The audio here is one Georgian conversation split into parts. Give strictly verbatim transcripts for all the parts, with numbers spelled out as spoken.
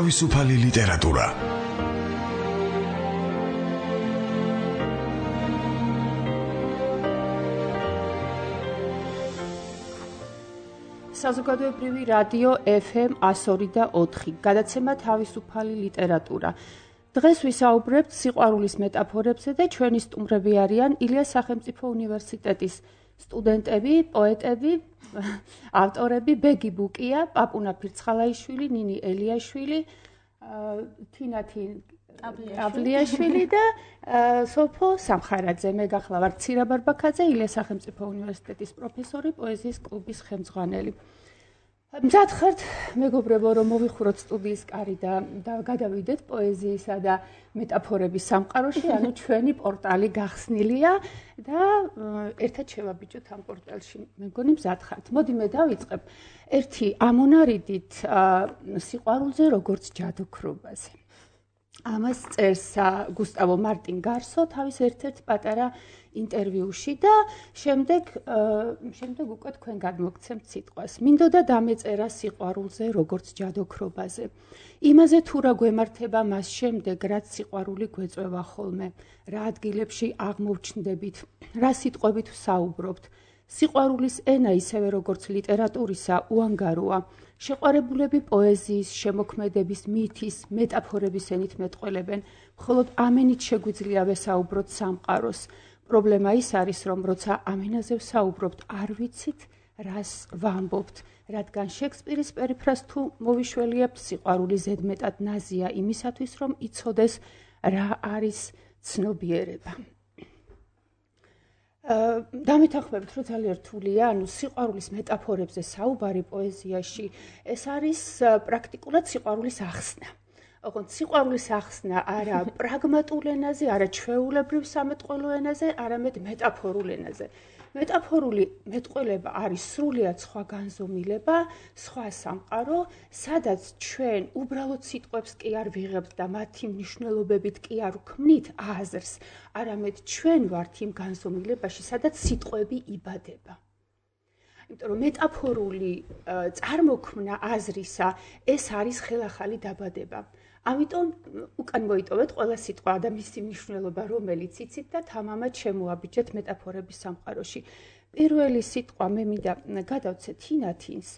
თავისუფალი ლიტერატურა. საზოგადოებრივი რადიო ეფ ემ εκατო ორი და ოთხი, გადაცემა თავისუფალი ლიტერატურა. დღეს ვისაუბრებთ სიყვარულის მეტაფორებზე და ჩვენი სტუმრები არიან ილიას სახელმწიფო უნივერსიტეტის სტუდენტები, პოეტები, ავტორები ბეგი ბუკია, პაპუნა ფირცხალაიშვილი, ნინი ელიაშვილი, თინათი აბლიაშვილი და სოფო სამხარაძე. მე გახლა ვარ ცირა ბარბაქაძე, ილიას სახელმწიფო უნივერსიტეტის პროფესორი, პოეზიის კლუბის ხელმძღვანელი. მზად ხართ, მეგობრებო, რომ მოვიხუროთ სტუდიის კარი და გადავიდეთ პოეზიისა და მეტაფორების სამყაროში, ანუ ჩვენი პორტალი გახსნილია და ერთად შევაბიჭოთ ამ პორტალში. მე მგონი მზად ხართ. მოდი მე დავიწყებ ერთი ამონარიდით სიყვარულზე როგორც ჯადოქრობაზე. ამას წერს გუსტავო მარტინ გარსო თავის ერთ-ერთ პატარა ინტერვიუში და შემდეგ შემდეგ უკვე თქვენ გადმოგცემთ სიტყვას. მინდოდა დამეწერა სიყვარულზე როგორც ჯადოქრობაზე. იმაზე თუ რა გვემართება მას შემდეგ, რაც სიყვარული გვეწვევა ხოლმე, რა ადგილებში აღმოვჩნდებით, რა სიტყვებით ვსაუბრობთ. სიყვარულის ენა ისევე როგორც ლიტერატურისა უანგაროა. შეყვარებულები პოეზიის, შემოქმედების, მითის, მეტაფორების ენით მეტყველებენ, მხოლოდ ამენით შეგვიძლია ვესაუბროთ სამყაროს. პრობლემა ის არის, რომ როცა ამენაზე ვსაუბრობთ, არ ვიცით, რას ვამბობთ, რადგან შექსპირის პერიფრას თუ მოვიშველიებთ, სიყვარული ზედმეტად ნაზია იმისათვის, რომ იცოდეს, რა არის ცნობიერება. დამეთანხმებით, რომ ძალიან რთულია, ანუ სიყვარულის მეტაფორებზე საუბარი პოეზიაში, ეს არის პრაქტიკულად სიყვარულის ახსნა. ოღონდ სიყვარულის ახსნა არა პრაგმატულ ენაზე, არა ჩვეულებრივ სამეტყველო ენაზე, არამედ მეტაფორულ ენაზე. მეტაფორული მეტყველება არის სრულიად სხვა განზომილება, სხვა სამყარო, სადაც ჩვენ უბრალოდ სიტყვებს კი არ ვიღებთ და მათი მნიშვნელობებით კი არ ვქმნით აზრს, არამედ ჩვენ ვართ იმ განზომილებაში, სადაც სიტყვები იბადება. იმიტომ რომ მეტაფორული წარმოქმნა აზრისა, ეს არის ხელახალი დაბადება. ამიტომ უკან მოიტოვეთ ყველა სიტყვა და მისი მნიშვნელობა, რომელიც იცით და თამამად შემოაბიჯეთ მეტაფორების სამყაროში. პირველი სიტყვა მე მინდა გადავცე თინათინს,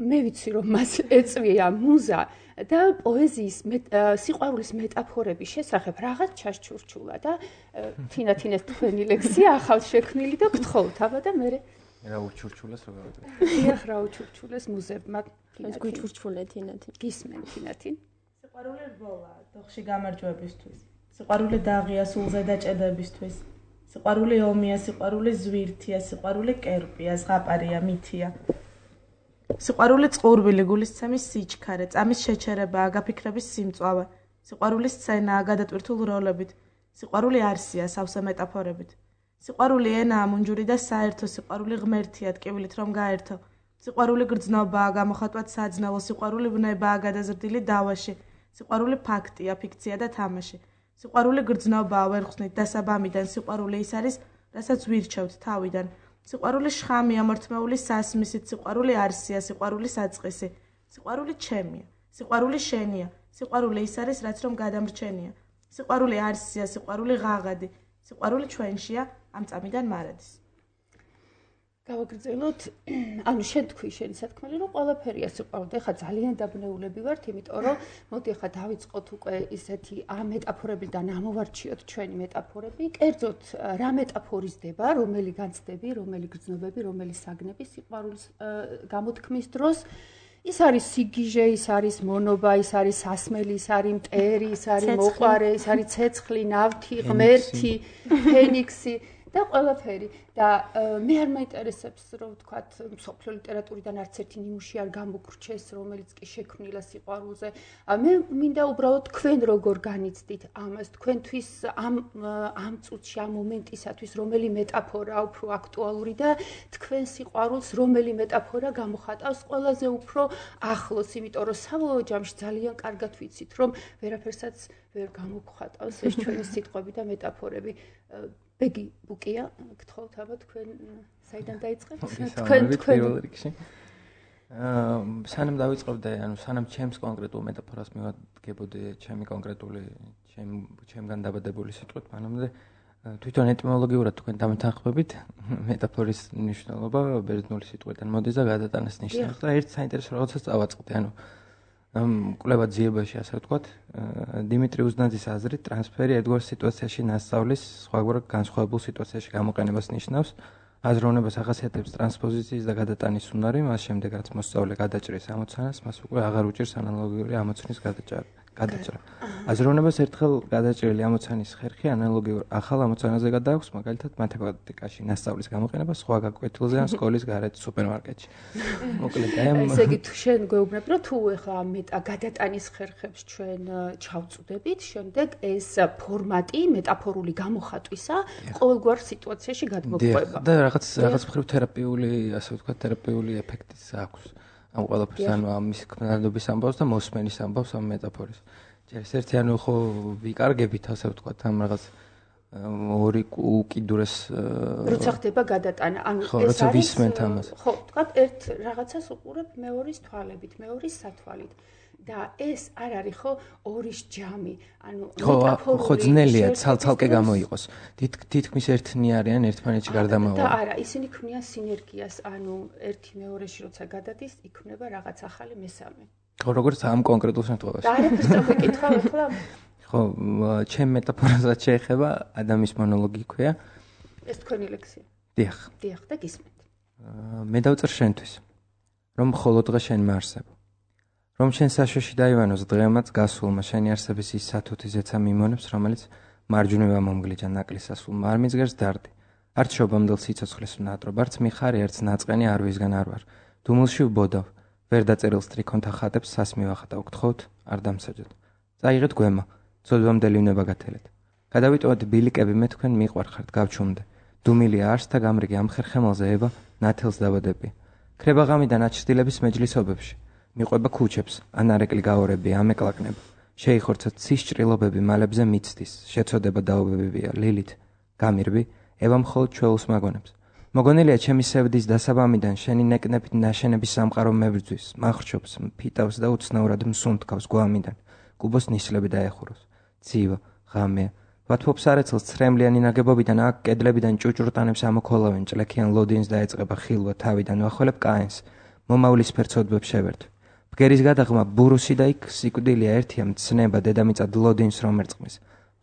მე ვიცი რომ მას ეწვია მუზა და პოეზიის სიყვარულის მეტაფორების შესახებ რაღაც ჩასჩურჩულა და თინათინეს თქვენი ლექსია ახალ შექმნილი და გთხოვთ აბა და მე რა უჩურჩულეს რა გავაკეთე. დიახ, რა უჩურჩულეს მუზებმა. ეს გვიჩურჩულე თინათინ. გისმენ თინათინ. სიყვარული რბოლა, დოხში გამარჯვებისთვის. სიყვარული დაღია სულზე დაჭედებისთვის. სიყვარული ომია, სიყვარული ზვირთია, სიყვარული კერპია, ზღაპარია, მითია. სიყვარული წყურვილი, გულისცემის სიჩქარე, წამის შეჩერებაა, გაფიქრების სიმწვავე. სიყვარული სცენაა, გადატვირთულ როლებით. სიყვარული არსია, სავსე მეტაფორებით. სიყვარული ენაა, მუნჯური და საერთო, სიყვარული ღმერთია, ტკივილით რომ გაერთო. სიყვარული გრძნობაა, გამოხატვად საძნელო, სიყვარული ვნებაა, გადაზრდილი დავაში. სიყვარული ფაქტია, ფიქცია და თამაში. სიყვარული გრძნობაა, ვერ ხსნით დასაბამიდან, სიყვარული ის არის, რასაც ვირჩევთ თავიდან. სიყვარული შხამია, მორთმეული სასმისით, სიყვარული არსია, სიყვარული საწყისი. სიყვარული ჩემია, სიყვარული შენია, სიყვარული ის არის, რაც რომ გადამრჩენია. სიყვარული არსია, სიყვარული ღაღადი, სიყვარული ჩვენშია, ამ წამიდან მარადის. გავაგრძელოთ, ანუ შენ თქვი შენი სათქმელი, რომ ყველაფერია სიყვარული. ეხლა ძალიან დაბნეულები ვართ, იმიტომ რომ მოდი ეხლა დავიწყოთ უკვე ისეთი ამ მეტაფორებიდან ამოვარჩიოთ ჩვენი მეტაფორები. კერძოდ რა მეტაფორიზდება, რომელი განცდები, რომელი გრძნობები, რომელი საგნები სიყვარულის გამოთქმის დროს. ის არის სიგიჟე, ის არის მონობა, ის არის სასმელი, ის არის მტერი, ის არის მოყვარე, ის არის ცეცხლი, ნავთი, ღმერთი, ფენიქსი და ყველაფერი. და მე არ მაინტერესებს, რომ ვთქვათ, მსოფლიო ლიტერატურიდან არც ერთი ნიმუში არ გამოგრჩეს, რომელიც კი შექმნილა სიყვარულზე. მე მინდა უბრალოდ თქვენ როგორ განიცდით ამას, თქვენთვის ამ ამ წუთში, ამ მომენტისათვის, რომელი მეტაფორაა უფრო აქტუალური და თქვენ სიყვარულს რომელი მეტაფორა გამოხატავს ყველაზე უფრო ახლოს, იმიტომ რომ საბოლოო ჯამში ძალიან კარგად ვიცით, რომ ვერაფერსაც ვერ გამოგხატავს ეს ჩვენი სიტყვები და მეტაფორები. ბეგი ბუკია, გთხოვთ აბა თქვენ საიდან დაიწყებთ? თქვენ თქვენ სანამ დავიწყებდე, ანუ სანამ ჩემს კონკრეტულ მეტაფორას მივადგებოდი, ჩემი კონკრეტული, ჩემ ჩემგან დაბადებული სიტყვით, მანამდე თვითონ ეტიმოლოგიურად თქვენ დამეთანხმებით მეტაფორის მნიშვნელობა ბერძნული სიტყვიდან მოდის და გადატანას ნიშნავს და ერთ საინტერესო რაღაცას წავაწყდი, ანუ ამ კვლევა ძიებაში ასე ვთქვათ, დიმიტრი უზნაძის აზრით ტრანსფერი ერთგვარ სიტუაციაში ნასწავლის სხვაგვარ განსხვავებულ სიტუაციაში გამოყენებას ნიშნავს. აზროვნებას ახასიათებს ტრანსპოზიციის და გადატანის უნარი, მას შემდეგ რაც მოსწავლე გადაჭრის ამოცანას, მას უკვე აღარ უჭირს ანალოგიური ამოცანის გადაჭრა. გადაჭრა. აზროვნებას ერთხელ გადაჭრილი ამოცანის ხერხი ანალოგიურ ახალ ამოცანაზე გადააქვს, მაგალითად მათემატიკაში ნასწავლის გამოყენება სხვა გაკვეთილზე ან სკოლის გარეთ სუპერმარკეტში. მოკლედ, აი ამ ესე იგი თუ შენ გვეუბნებ, რომ თუ ეხლა მეტა გადატანის ხერხებს ჩვენ ჩავწუდებით, შემდეგ ეს ფორმატი მეტაფორული გამოხატვისა ყოველგვარ სიტუაციაში გადმოგვყვება. და რაღაც რაღაც მხრივ თერაპიული, ასე ვთქვათ, თერაპიული ეფექტიც აქვს. ამ ყველაფერს ანუ ამის ქმნადობის ამბავს და მოსმენის ამბავს ამ მეტაფორის. ჯერ ერთი ანუ ხო ვიკარგებით, ასე ვთქვათ, ამ რაღაც ორი უკიდურეს როცა ხდება გადატანა, ანუ ეს არის ვისმენთ ამას. ხო, ვთქვათ, ერთ რაღაცას უყურებ მეორის თვალებით, მეორის სათვალით. და ეს არ არის ხო ორის ჯამი, ანუ მეტაფორული ხო ძნელია ცალ-ცალკე გამოიყოს. თითქმის ერთნი არიან ერთმანეთში გარდამავალი. და არა, ისინი ქმნიან სინერგიას, ანუ ერთი მეორეში როცა გადადის, იქმნება რაღაც ახალი მესამე. ხო, როგორც ამ კონკრეტულ შემთხვევაში. და არაფერს წავიკითხავ ახლა. ხო, ჩემ მეტაფორასაც შეეხება ადამის მონოლოგი ქვია. ეს თქვენი ლექსია. დიახ. დიახ, და გისმენთ. მე დავწერ შენთვის, რომ მხოლოდ დღე შენმა არსებო. რომ შენ საშოში დაივანოს დღემაც გასულმა შენი არსების ის სათუთი ზეცა მიმონებს, რომელიც მარჯვნივ მომგლიჯა ნაკლის ასულ მარმიძგერს დარდი. არც შობამდელ სიცოცხლეს ვნატრობ, არც მიხარი, არც ნაწყენი არ ვისგან არ ვარ. დუმილში ვბოდავ, ვერ დაწერილს ტრიქონთა ხატებს სას მივახატავ, გთხოვთ, არ დამსაჯოთ. წაიღეთ გვემა, ცოდვამდელი ვნება გათელეთ. გადავიტოვეთ ბილიკები, მე თქვენ მიყვარხართ, გავჩუმდე. დუმილია არს და გამრიგი ამ ხერხემალზე ება ნათელს დაბადები. ქრება ღამიდან აჩრდილების მეჯლისობებში. მიყვება ქუჩებს, ანარეკლი გაორები, ამეკლაკნება. შეიხორცათ ცის ჭრილობები მალებზე მიცდის, შეწოდება დაობებებია, ლილით, გამირბი, ევა მხოლოდ ჩვეულს მაგონებს. მოგონილია ჩემი სევდის დასაბამიდან შენი ნეკნებით ნაშენების სამყარო მებრძვის, მახრჩობს, ფიტავს და უცნაურად მსუნთქავს გვამიდან, კუბოს ნისლები დაეხუროს. ცივა, ღამეა, ვათფობს არეცელს ცრემლიანი ნაგებობიდან აქ კედლებიდან ჭუჭრუტანებს ამოქოლავენ, ჭლექიან ლოდინს დაეწყება ხილვა თავიდან ვახველებ კაენს, მომავლის ფერცოდბებს შევერთ. ბგერის გადაღმა ბურუსი და იქ სიკვდილია ერთია მცნება დედამიწად ლოდინს რომ ერწყმის.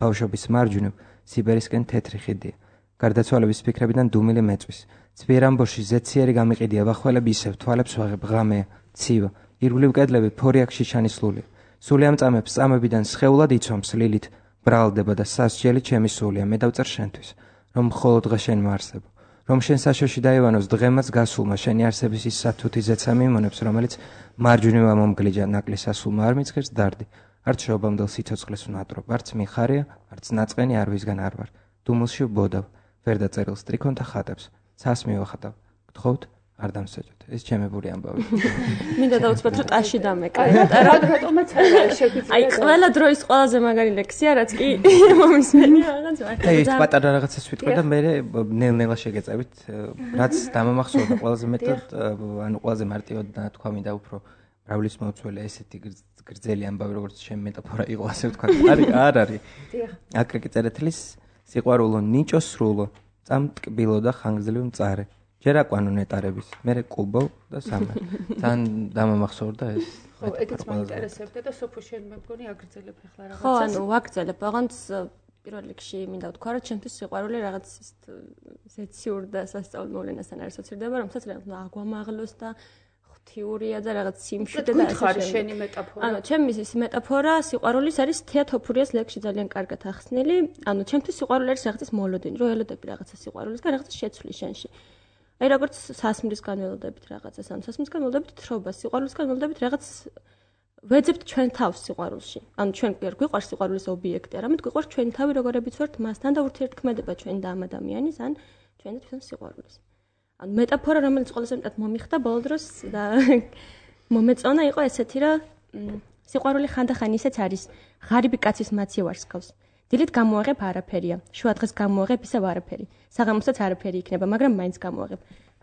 ბავშვობის მარჯვნივ სიბერისკენ თეთრი ხიდია. გარდაცვალების ფიქრებიდან დუმილი მეწვის. ძვიერ ამბოში ზეციერი გამიყიდია ვახველები ისევ თვალებს ვაღებ ღამეა, ცივა, ირგვლივ კედლები ფორიაქ შიშანის სულია. სული ამ წამებს წამებიდან სხეულად იცვამს ლილით, ბრალდება და სასჯელი ჩემი სულია, მე დავწერ შენთვის, რომ მხოლოდ დღე შენმა არსებო. რომ შენ საშოში დაივანოს დღემაც გასულმა შენი არსების ის სათუთი ზეცა მიმონებს, რომელიც მარჯვნივ მომგლიჯა ნაკლის ასულმა არ მიცღერს დარდი. არც შობამდელ სიცოცხლეს ვნატრობ, არც მიხარია, არც ნაწყენი არ ვისგან არ ვარ. დუმილში ვბოდავ, ვერ დაწერილს ტრიქონთა ხატებს, ცას მივახატავ, გთხოვთ, არ დამსაჯოთ. ეს ჩემებული ამბავი. მინდა დავუცბად, რომ ტაში დამეკრე. რატომაც არ შეგვიძლია. აი, ყველა დროის ყველაზე მაგარი ლექსია, რაც კი მომისმენი რაღაც ვარ. აი, პატარა რაღაცას ვიტყვი და მე ნელ-ნელა შეგეწევით, რაც დამამახსოვრდა ყველაზე მეტად, ანუ ყველაზე მარტივად თქვა მინდა უფრო მრავლის მოუწველია ესეთი გრძელი ამბავი, როგორც ჩემი მეტაფორა იყო, ასე ვთქვა. არის, არ არის. დიახ. აკრიკი წერეთლის სიყვარულო ნიჭო სრულო, წამტკბილო და ხანგრძლივ მწარე. ჯერ აკვანო ნეტარების, მერე კუბო და სამე. თან დამამახსოვრდა ეს. ხო, ეგეც მაინტერესებდა და სოფო შენ მე მგონი აგრძელებ ახლა რაღაცას. ხო, ანუ ვაგრძელებ, აღანც პირველ რიგში მინდა ვთქვა, რომ ჩემთვის სიყვარული რაღაც ზეციურ და სასწავლო მოვლენასთან არ ასოცირდება, რომელსაც რაღაც აგვამაღლოს და ღვთიურია და რაღაც სიმშვიდე და ასე შენი შენი მეტაფორა. ანუ ჩემთვის ის მეტაფორა სიყვარულის არის თეატოფურიას ლექსში ძალიან კარგად ახსნილი. ანუ ჩემთვის სიყვარული არის რაღაცის მოლოდინი, რომ ელოდები რაღაცა სიყვარულისგან, რაღაცა შეცვლის შენში. აი როგორც სასმრისგან ველოდებით რაღაცას, ანუ სასმრისგან ველოდებით თრობას, სიყვარულისგან ველოდებით რაღაც ვეძებთ ჩვენ თავს სიყვარულში. ანუ ჩვენ კი არ გვიყვარს სიყვარულის ობიექტი, არამედ გვიყვარს ჩვენი თავი როგორებიც ვართ მასთან და ურთიერთქმედება ჩვენი და ამ ადამიანის, ან ჩვენ და თვითონ სიყვარულის. ანუ მეტაფორა, რომელიც ყველაზე მეტად მომიხდა ბოლო დროს და მომეწონა იყო ესეთი, რომ სიყვარული ხანდახან ისეც არის, ღარიბი კაცის მაცი ვარსკავს. დილით გამოაღებ არაფერია, შუა დღეს გამოაღებ ისევ არაფერი. საღამოსაც არაფერი იქნება, მაგრამ მაინც გამოაღებ.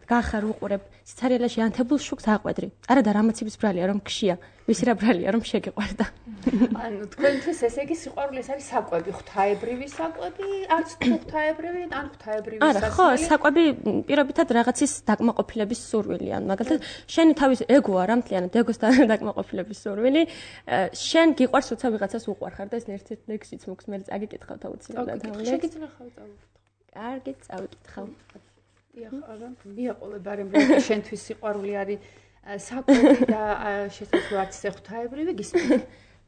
გახარ უყურებ სიცარიელაში ანთებულ შუქს აყვედრი. არა და რამაცების ბრალია რომ გშია, ვისი რა ბრალია რომ შეგიყვარდა. ანუ თქვენთვის ესე იგი სიყვარული ეს არის საკვები, ღვთაებრივი საკვები, არც ღვთაებრივი, ან ღვთაებრივი არა, ხო, საკვები პირობითად რაღაცის დაკმაყოფილების სურვილი, ანუ მაგალითად, შენი თავის ეგო არა მთლიანად ეგოს დაკმაყოფილების სურვილი, შენ გიყვარს როცა ვიღაცას უყვარ ხარ და ეს ერთ-ერთი ლექსიც მოქვს, მე წაგიკითხავ თავუცილებლად. შეგიძლია ხავ წავიკითხო. კარგი, წავიკითხავ. დიახ, არა, მიაყოლე ბარემ რომ შენთვის სიყვარული არის საკვები და შესაძლოა არც ეს ღვთაებრივი გისმენთ.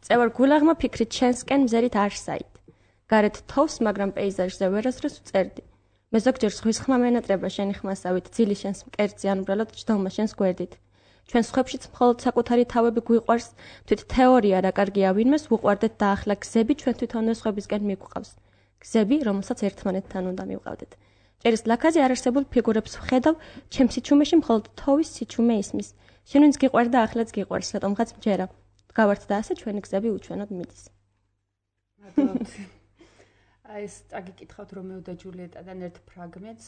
წევარ გულაღმა ფიქრით შენსკენ მზერით არ საით. გარეთ თოვს, მაგრამ პეიზაჟზე ვერასდროს ვწერდი. მე ზოგჯერ ზღვის ხმა მენატრება შენი ხმასავით, ძილი შენს მკერდზე ან უბრალოდ ჯდომა შენს გვერდით. ჩვენ სხვებშიც მხოლოდ საკუთარი თავები გვიყვარს, თვით თეორია რა კარგია ვინმეს ვუყვარდეთ და ახლა გზები ჩვენ თვითონვე სხვებისკენ მიგვყავს. გზები, რომელსაც ერთმანეთთან უნდა მივყავდეთ. წერის ლაქაზე არარსებულ ფიგურებს ვხედავ, ჩემს სიჩუმეში მხოლოდ თოვის სიჩუმე ისმის. შენ ვინც გიყვარდა, ახლაც გიყვარს, რატომღაც მჯერა. გავართ და ასე ჩვენი გზები უჩვენოდ მიდის. მადლობთ. აი ეს წაგიკითხავთ რომეო და ჯულიეტადან ერთ ფრაგმენტს,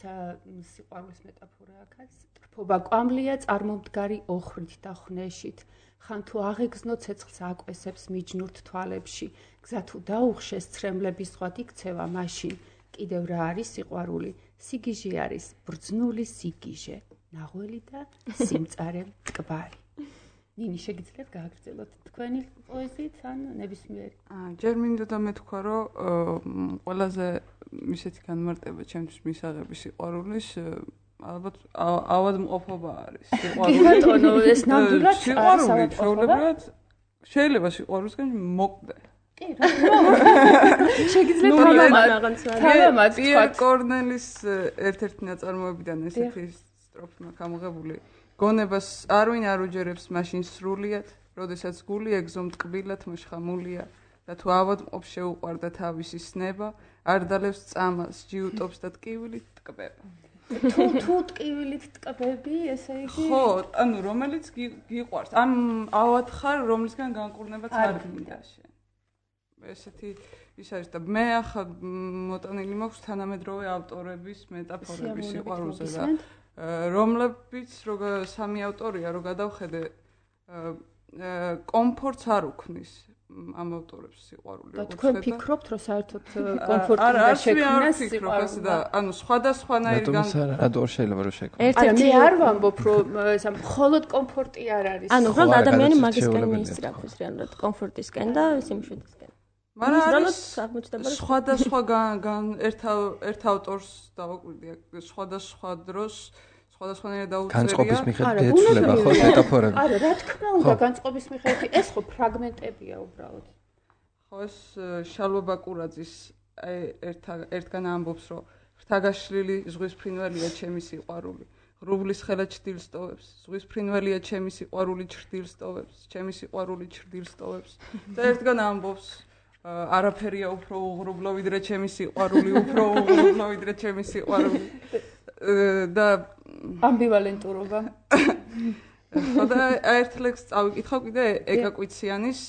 სიყვარულის მეტაფორა აქაც. ტრფობა კვამლია წარმომდგარი ოხრით და ხნეშით. ხან თუ აღეგზნო ცეცხლს აკვესებს მიჯნურთ თვალებში. გზა თუ დაუხშეს ცრემლების სხვა იქცევა მაშინ. კიდევ რა არის სიყვარული? სიგიჟე არის ბრძნული სიგიჟე, ნაღველი და სიმწარე მტკბარი. ნინი, შეგიძლიათ გააგრძელოთ თქვენი პოეზიით ან ნებისმიერი? აა, ჯერ მინდა და მეთქვა, რომ ყველაზე ისეთი განმარტება ჩემთვის მისაღები სიყვარულის, ალბათ ავადმყოფობა არის. სიყვარული ბატონო, ეს ნამდვილად სიყვარული ჩვეულებრივად შეიძლება სიყვარულისგან მოკვდე. კი, რა შეგიძლიათ თავამაც პიერ კორნელის ერთ-ერთი ნაწარმოებიდან ესეთი სტროფა გამოღებული. გონებას არვინ არ უჯერებს მაშინ სრულიად, როდესაც გული ეგზო მტკბილად მოშხამულია და თუ ავადმყოფ შეუყვარდა თავისი სნება, არ დალევს წამალს, ჯიუტობს და ტკივილით ტკბება. თუ თუ ტკივილით ტკბები, ესე იგი? ხო, ანუ რომელიც გიყვარს. ამ ავად ხარ, რომლისგან განკურნებაც არ გინდა შენ. ესეთი ის არის და მე ახლა მოტანილი მაქვს თანამედროვე ავტორების მეტაფორების სიყვარულზე და რომლებიც როგორ სამი ავტორია რო გადავხედე კომფორტს არ უქმნის ამ ავტორებს სიყვარული. და თქვენ ფიქრობთ რომ საერთოდ კომფორტი და შექმნას სიყვარული და ანუ სხვადასხვანაირი გან რატო შეიძლება რომ შექმნას? ერთ-ერთი არ ვამბობ რომ სამ მხოლოდ კომფორტი არ არის. ანუ უბრალოდ ადამიანი მაგისკენ მიისწრაფოს რეალურად კომფორტისკენ და სიმშვიდისკენ. მაგრამ სხვადასხვა ერთ ერთ ავტორს დავაკვირდი სხვადასხვა დროს სხვადასხვანაირად დაუწერია. განწყობის მიხედვით ეცვლება ხო მეტაფორები? არა, რა თქმა უნდა, განწყობის მიხედვით ეს ხო ფრაგმენტებია უბრალოდ. ხო, ეს შალვა ბაკურაძის აი ერთ ერთგან ამბობს, რომ ღვთაგაშლილი ზღვის ფრინველია ჩემი სიყვარული. ღრუბლის ხელა ჩრდილს ტოვებს, ზღვის ფრინველია ჩემი სიყვარული ჩრდილს ტოვებს, ჩემი სიყვარული ჩრდილს ტოვებს. და ერთგან ამბობს არაფერია უფრო უღრუბლო ვიდრე ჩემი სიყვარული, უფრო უღრუბლო ვიდრე ჩემი სიყვარული. და ამბივალენტურობა. ხოდა ერთ ლექსს წავიკითხავ კიდე ეკაკვიციანის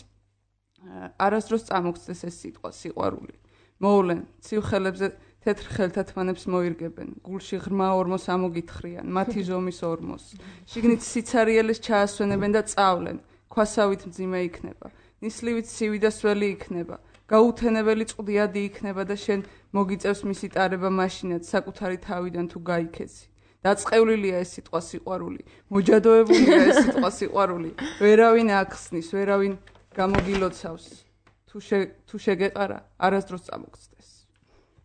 არასდროს წამოგცდეს ეს სიტყვა სიყვარული. მოვლენ ცივ ხელებზე თეთრ ხელთა თმანებს მოირგებენ, გულში ღრმა ორმოს ამოგითხრიან, მათი ზომის ორმოს. შიგნით სიცარიელეს ჩაასვენებენ და წავლენ, ქვასავით მძიმე იქნება. ნისლივით ცივი და სველი იქნება, გაუთენებელი წყდიადი იქნება და შენ მოგიწევს მისი ტარება მაშინაც საკუთარი თავიდან თუ გაიქეცი. დაწყევლილია ეს სიტყვა სიყვარული, მოჯადოებულია ეს სიტყვა სიყვარული, ვერავინ ახსნის, ვერავინ გამოგილოცავს. თუ თუ შეგეყარა, არასდროს წამოგცდეს.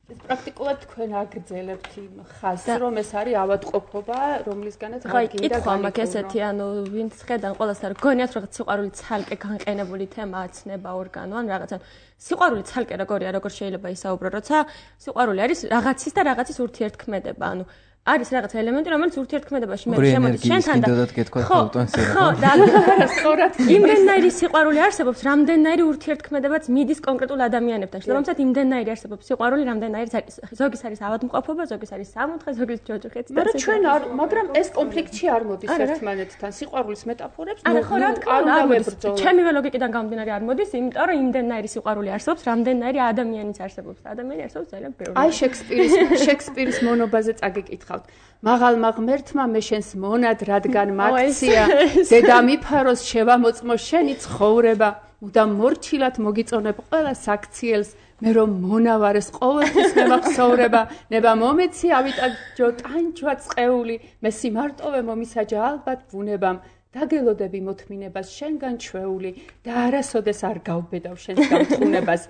ეს პრაქტიკულად თქვენ აგრძელებთ იმ ხაზს, რომ ეს არის ავადმყოფობა, რომლისგანაც რა გინდა გამაკ ესეთი, ანუ ვინც ხედან ყოველას არ გონიათ რაღაც სიყვარული ცალკე განყენებული თემა აცნება ორგანო, ან რაღაცა სიყვარული ცალკე როგორია, როგორ შეიძლება ისაუბრო, როცა სიყვარული არის რაღაცის და რაღაცის ურთიერთქმედება, ანუ არის რაღაც ელემენტი, რომელიც ურთიერთქმედებაში მე შემოდის შენთან და ხო, ხო, და სწორად იმდენნაირი სიყვარული არსებობს, რამდენნაირი ურთიერთქმედებაც მიდის კონკრეტულ ადამიანებთან. შესაბამისად, იმდენნაირი არსებობს სიყვარული, რამდენნაირი ზოგის არის ავადმყოფობა, ზოგის არის სამოთხე, ზოგის ჯოჯოხეთი და მაგრამ ჩვენ არ, მაგრამ ეს კონფლიქტში არ მოდის ერთმანეთთან. სიყვარულის მეტაფორებს არა, ხო, რა თქმა უნდა, არ მოდის. ჩემივე ლოგიკიდან გამომდინარე არ მოდის, იმიტომ რომ იმდენნაირი სიყვარული არსებობს, რამდენნაირი ადამიანიც არსებობს. ადამიანი არსებობს ძალიან ბევრი. აი შექსპირის, შექსპირის მონობაზე წაგეკითხავ. გითხავთ. მაღალმა ღმერთმა მე შენს მონად რადგან მაქცია, დედამიფაროს შევამოწმო შენი ცხოვრება, მუდამ მორჩილად მოგიწონებ ყველა საქციელს, მე რომ მონავარეს ყოველთვის მევახსოვრება, ნება მომეცი ავიტაჯო ტანჯვა წყეული, მე სიმარტოვე მომისაჯა ალბათ ბუნებამ, დაგელოდები მოთმინებას შენგან ჩვეული და არასოდეს არ გავბედავ შენს გამთხუნებას.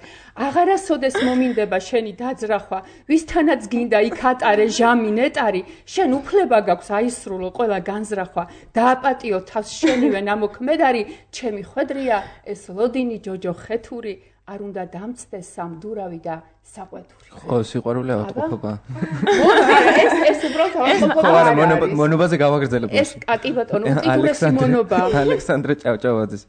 აღარასოდეს მომინდება შენი დაძრახვა, ვისთანაც გინდა იქ ატარე ჟამი ნეტარი, შენ უფლება გაქვს აისრულო ყველა განზრახვა, დააპატიო თავს შენივე ნამოქმედარი, ჩემი ხვედრია ეს ლოდინი ჯოჯო ხეთური, არ უნდა დამწდეს სამდურავი და საყვეთური. ხო, სიყვარული ავადმყოფობა. ეს ეს უბრალოდ ავადმყოფობა არ არის. მონობაზე გავაგრძელებთ. ეს კი ბატონო, ტიპურესი მონობა. ალექსანდრე ჭავჭავაძის.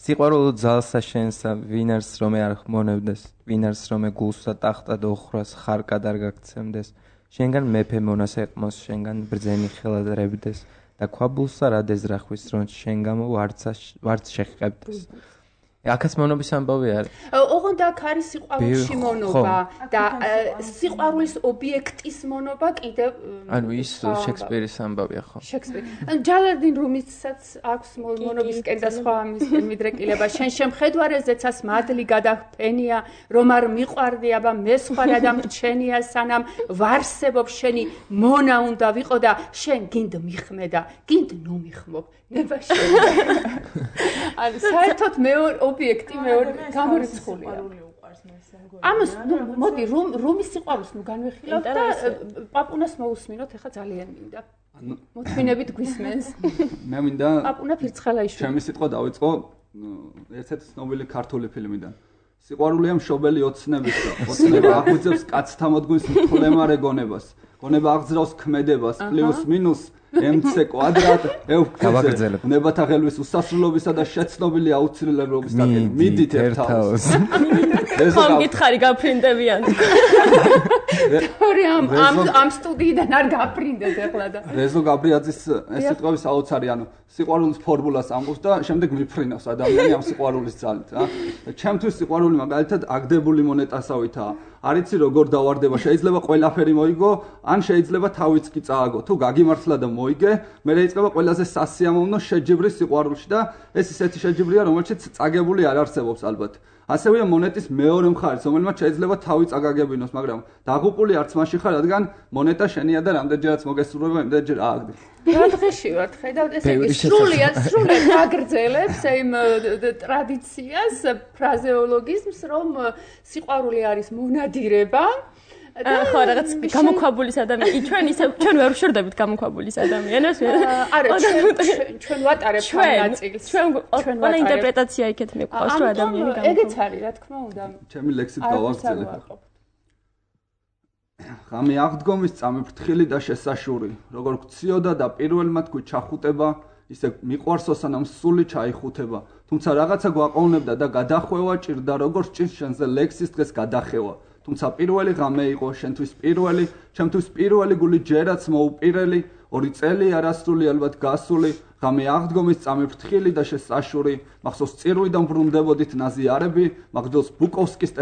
სიყვარულო ძალსა შენსა, ვინარს რომე არ ხმონებდეს, ვინარს რომე გულსა ტახტა დოხრას ხარკად არ გაგცემდეს, შენგან მეფე მონას ეყმოს, შენგან ბრძენი ხელად რებდეს და ქვაბულსა რა დეზრახვის რომ შენგან ვარცა ვარც შეხებდეს. აქაც მონობის ამბავი არის. ოღონდ აქ არის სიყვარულში მონობა და სიყვარულის ობიექტის მონობა კიდევ ანუ ის შექსპირის ამბავია ხო? შექსპირი. ჯალერდინ რუმისაც აქვს მონობისკენ და სხვა ამისკენ მიდრეკილება. შენ შემხედვარეზეცას მადლი გადაფენია, რომ არ მიყვარდი, აბა მე სხვა რადამ რჩენია სანამ ვარსებობ შენი მონა უნდა ვიყო და შენ გინდ მიხმედა, გინდ ნომიხმობ. ნება შენ. ანუ საერთოდ მეორე ობიექტი მეორე გამორიცხულია. ამას ნუ მოდი რომ რომის სიყვარულს ნუ განვიხილავთ და პაპუნას მოусმინოთ, ეხა ძალიან მინდა. მოთმინებით გვისმენს. მე მინდა პაპუნა ფირცხალაიშვილი. ჩემი სიტყვა დავიწყო ერთ-ერთი ცნობილი ქართული ფილმიდან. სიყვარულია მშობელი ოცნების და ოცნება აღვიძებს კაცთა მოდგმის მხოლემარე გონებას. გონება აღძრავს ქმედებას პლუს მინუს mc კვადრატ ევქზე ნებათა ხელვის უსასრულობისა და შეცნობილი აუცილებლობის საკითხი მიდით ერთავს ხომ გითხარი გაფრინდებიან თორე ამ ამ სტუდიიდან არ გაფრინდეთ ახლა და რეზო გაბრიაძის ეს სიტყვები საოცარი ანუ სიყვარულის ფორმულას ამბობს და შემდეგ მიფრინავს ადამიანი ამ სიყვარულის ძალით რა ჩემთვის სიყვარული მაგალითად აგდებული მონეტასავითაა არიცი როგორ დავარდება შეიძლება ყველაფერი მოიგო ან შეიძლება თავიც კი წააგო თუ გაგიმართლა და მოიგე მე რეიწყება ყველაზე სასიამოვნო შეჯიბრი სიყვარულში და ეს ისეთი შეჯიბრია რომელშიც წაგებული არ არსებობს ალბათ ასევეა მონეტის მეორე მხარეს რომელმაც შეიძლება თავი წაგაგებინოს მაგრამ დაღუპული არც მაშინ ხარ რადგან მონეტა შენია და რამდენჯერაც მოგესურვება იმდენჯერ ააგდი რა დღეში ვართ ხედავთ ესე იგი სრულიად სრულიად აგრძელებს იმ ტრადიციას ფრაზეოლოგიზმს რომ სიყვარული არის მონადირება ხო რაღაც გამოქვაბულის ადამიანი ჩვენ ისე ჩვენ ვერ ვშორდებით გამოქვაბულის ადამიანებს არა ჩვენ ვატარებთ ამ ნაწილს ჩვენ ყველა ინტერპრეტაცია იქეთ მეყავს რომ ადამიანი გამოქვაბული ეგეც არის რა თქმა უნდა ჩემი ლექსით გავაგრძელებ ღამე აღდგომის წამიფრთხილი და შესაშური როგორ გციოდა და პირველმა თქვი ჩახუტება ისე მიყვარსო სანამ სული ჩაიხუთება თუმცა რაღაცა გვაყოვნებდა და გადახვევა ჭირდა როგორ ჭირს შენზე ლექსის დღეს გადახევა თუმცა პირველი ღამე იყო შენთვის პირველი ჩემთვის პირველი გული ჯერაც მოუპირელი ორი წელი არასრული ალბათ გასული ღამე აღდგომის წამიფრთხილი და შესაშური მახსოვს წირვიდან ბრუნდებოდით ნაზიარები მაგდოს ბუკოვსკის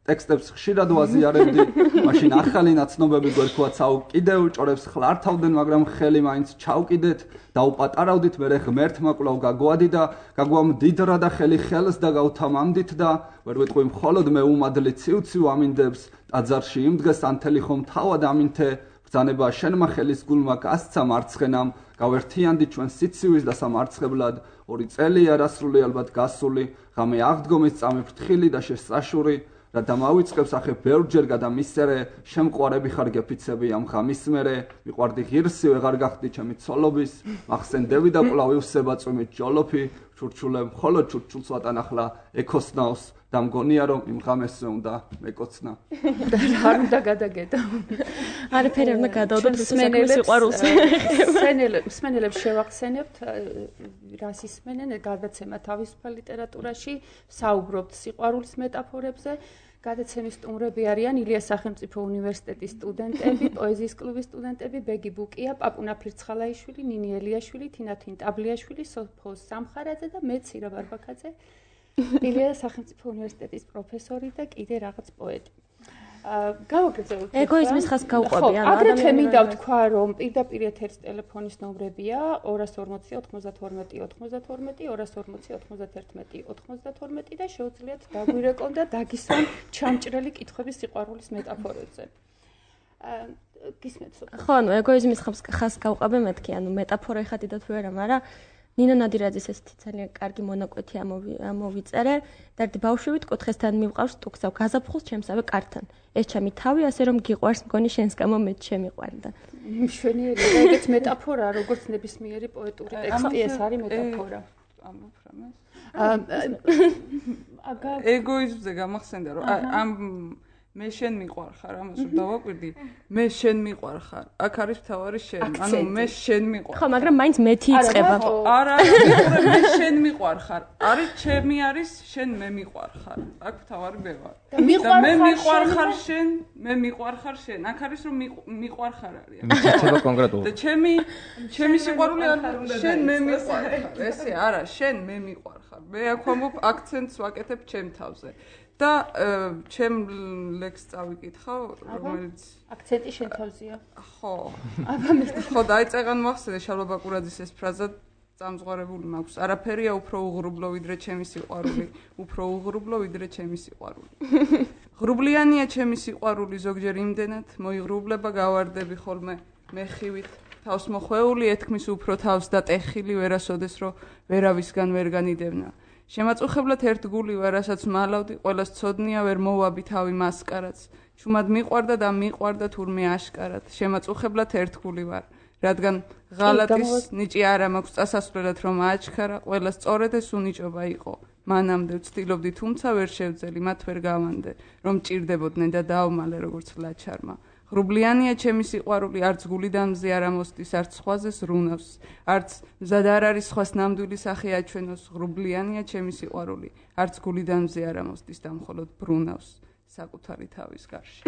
ტექსტებს ხშირად ვაზიარებდი მაშინ ახალი ნაცნობები გვერქვა ცაუ კიდევ ჭორებს ხლართავდნენ მაგრამ ხელი მაინც ჩავკიდეთ დაუპატარავდით მერე ღმერთმა კვლავ გაგვადი და გაგვამდიდრა და ხელი ხელს და გავთამამდით და ვერ ვიტყვი მხოლოდ მე უმადლი ცივ-ცივ ამინდებს ტაძარში იმ დღეს ანთელი ხომ თავად ამინთე ბრძანება შენმა ხელის გულმა გასცა მარცხენამ გავერთიანდი ჩვენ სიცივის და სამარცხებლად ორი წელი არასრული ალბათ გასული ღამე აღდგომის წამიფრთხილი და შესაშური და დამავიწყებს ახე ბევრჯერ გადამისერე შემყვარები ხარ გეფიცები ამ ღამის მერე მიყვარდი ღირსი ვეღარ გახდი ჩემი ცოლობის მახსენდები და კვლავ ივსება წვიმით ჯოლოფი ჩურჩულებ მხოლოდ ჩურჩულს ვატანახლა ეკოსნავს და მგონია რომ იმ ღამესზე უნდა მეკოცნა არ უნდა გადაგედო არაფერი არ უნდა გადავდოთ მსმენელებს სიყვარულს მსმენელებს შევახსენებთ რას ისმენენ გადაცემა თავისუფალ ლიტერატურაში საუბრობთ სიყვარულის მეტაფორებზე გადაცემის სტუმრები არიან ილიას სახელმწიფო უნივერსიტეტის სტუდენტები, პოეზიის კლუბის სტუდენტები, ბეგი ბუკია, პაპუნა ფირცხალაიშვილი, ნინი ელიაშვილი, თინა თინტაბლიაშვილი, სოფო სამხარაძე და მე ცირა ბარბაკაძე, ილიას სახელმწიფო უნივერსიტეტის პროფესორი და კიდე რაღაც პოეტი. გავაგრძელოთ. ეგოიზმის ხას გავყვები, ანუ აგრეთვე მინდა ვთქვა, რომ პირდაპირ ეთერის ტელეფონის ნომრებია ორას ორმოცი ოთხმოცდათორმეტი ოთხმოცდათორმეტი ორას ორმოცი ოთხმოცდათერთმეტი ოთხმოცდათორმეტი და შეუძლიათ დაგვირეკონ და დაგისვან ჩამჭრელი კითხვების სიყვარულის მეტაფორებზე. გისმენთ? ხო, ანუ ეგოიზმის ხას გავყვები მეთქი, ანუ მეტაფორა ეხა თუ არა, მაგრამ ნინო ნადირაძის ესეთი ძალიან კარგი მონაკვეთი ამოვიწერე და ერთი ბავშვივით კუთხესთან მივყავს სტუქსავ გაზაფხულს ჩემსავე კართან. ეს ჩემი თავი, ასე რომ გიყვარს მგონი შენს გამო მე შემიყვარდა. მშვენიერი და ეგეც მეტაფორაა, როგორც ნებისმიერი პოეტური ტექსტი, ეს არის მეტაფორა. ამოფრამეს. აგა ეგოიზმზე გამახსენდა რომ ამ მე შენ მიყვარხარ, ამას რომ დავაკვირდი, მე შენ მიყვარხარ. აქ არის მთავარი შენ, ანუ მე შენ მიყვარხარ. ხო, მაგრამ მაინც მეთი იწება. არა, არა, მე შენ მიყვარხარ. არის ჩემი არის შენ მე მიყვარხარ. აქ მთავარი მე ვარ. და მე მიყვარხარ შენ, მე მიყვარხარ შენ. აქ არის რომ მიყვარხარ არის. მიჩება კონკრეტულად. და ჩემი ჩემი სიყვარული არის შენ მე მიყვარხარ. ესე არა, შენ მე მიყვარხარ. მე აქ ვამბობ აქცენტს ვაკეთებ ჩემ თავზე. და ჩემ ლექსს წავიკითხავ, რომელიც აქცენტი შენ თავზეა. ხო. ხო, დაიწყან მოახსენე შალვა ბაკურაძის ეს ფრაზა წამზღვარებული მაქვს. არაფერია უფრო უღრუბლო ვიდრე ჩემი სიყვარული, უფრო უღრუბლო ვიდრე ჩემი სიყვარული. ღრუბლიანია ჩემი სიყვარული ზოგჯერ იმდენად, მოიღრუბლება გავარდები ხოლმე მეხივით. თავს მოხვეული ეთქმის უფრო თავს და ტეხილი ვერასოდეს რო ვერავისგან ვერ განიდევნა. შემაწუხებლად ერთ გული ვარ, რასაც მალავდი, ყველას ცოდნია ვერ მოვაბი თავი მასკარაც. ჩუმად მიყვარდა და მიყვარდა თურმე აშკარად. შემაწუხებლად ერთ გული ვარ, რადგან ღალატის ნიჭი არა მაქვს წასასვლელად რომ აჩქარა, ყველა სწორედ ეს უნიჭობა იყო. მანამდე ვცდილობდი, თუმცა ვერ შევძელი, მათ ვერ გავანდე, რომ ჭირდებოდნენ და დაავმალე როგორც ლაჩარმა. ღრუბლიანია ჩემი სიყვარული, არც გულიდან მზე არ ამოსდის, არც სხვაზე სრუნავს, არც მზად არ არის სხვას ნამდვილი სახე აჩვენოს. ღრუბლიანია ჩემი სიყვარული, არც გულიდან მზე არ ამოსდის და მხოლოდ ბრუნავს საკუთარი თავის გარშე.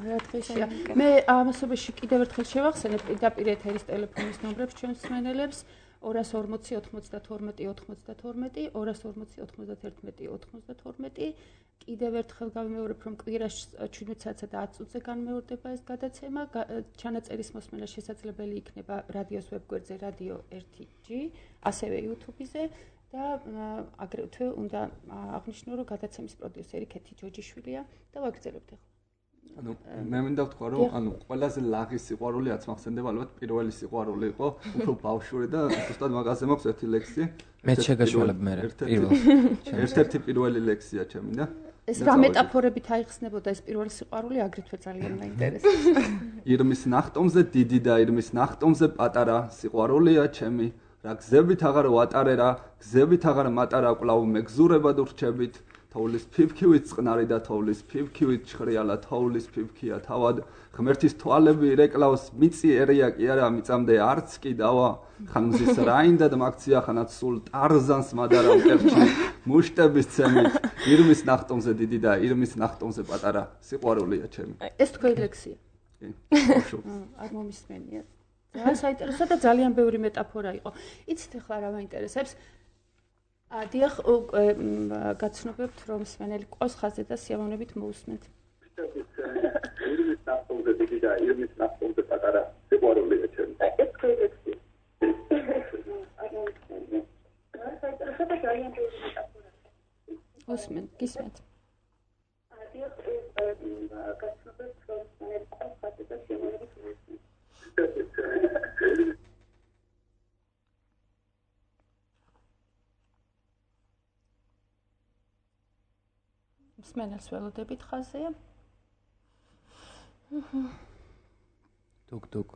რა დღეშია. მე ამასობაში კიდევ ერთხელ შევახსენებ პირდაპირ ეთერის ტელეფონის ნომრებს ჩვენს მსმენელებს ორას ორმოცი ოთხმოცდათორმეტი ოთხმოცდათორმეტი ორას ორმოცი ოთხმოცდათერთმეტი ოთხმოცდათორმეტი კიდევ ერთხელ გავიმეორებ, რომ კვირაში შვიდმეტ საათსა და ათს წუთზე განმეორდება ეს გადაცემა. ჩანაწერის მოსმენა შესაძლებელი იქნება რადიოს ვებგვერდზე რადიო ერთი ჯი, ასევე YouTube-ზე და აგრეთვე უნდა აღნიშნო, რომ გადაცემის პროდიუსერი ქეთი ჯოჯიშვილია და ვაგრძელებთ ახლა. ანუ მე მინდა ვთქვა, რომ ანუ ყველაზე ლაღი სიყვარული რაც მახსენდება, ალბათ პირველი სიყვარული იყო, უფრო ბავშვური და ზუსტად მაგაზე მაქვს ერთი ლექსი. მე შეგაშველებ მე პირველ. ერთ-ერთი პირველი ლექსია ჩემი და ეს რა მეტაფორებით აიხსნებოდა ეს პირველი სიყვარული, აგრეთვე ძალიან მაინტერესებს. ირმის ნახტომზე დიდი და ირმის ნახტომზე პატარა სიყვარულია ჩემი, რა გზებით აღარ ვატარე რა, გზებით აღარ მატარა კვლავ მეგზურებად ურჩებით. თოვლის ფიფქივით წყნარი და თოვლის ფიფქივით ჩხრიალა თოვლის ფიფქია თავად ღმერთის თვალები რეკლავს მიწი ერია კი არა მიწამდე არც კი დავა ხან მზის რაინდა და მაგცია ხანაც სულ ტარზანს მადარა მკერჩი მუშტების ცემით ირმის ნახტომზე დიდი და ირმის ნახტომზე პატარა სიყვარულია ჩემი. ეს თქვენი ლექსია. კი. არ მომისმენია. ძალიან საინტერესო და ძალიან ბევრი მეტაფორა იყო. იცით ახლა რა მაინტერესებს? დიახ, გაცნობებთ, რომ მსმენელი ყავს ხაზზე და სიამოვნებით მოусმენთ. ირმის ნახტომზე დიდი და ირმის ნახტომზე პატარა სიყვარულია ჩემი. ეს თქვენი ლექსია. უსმენთ, გისმენთ. დიახ, გაცნობებთ, რომ მსმენელი ყავს ხაზზე და სიამოვნებით მოусმენთ. მსმენელს ველოდებით ხაზია. დუგ დუგ.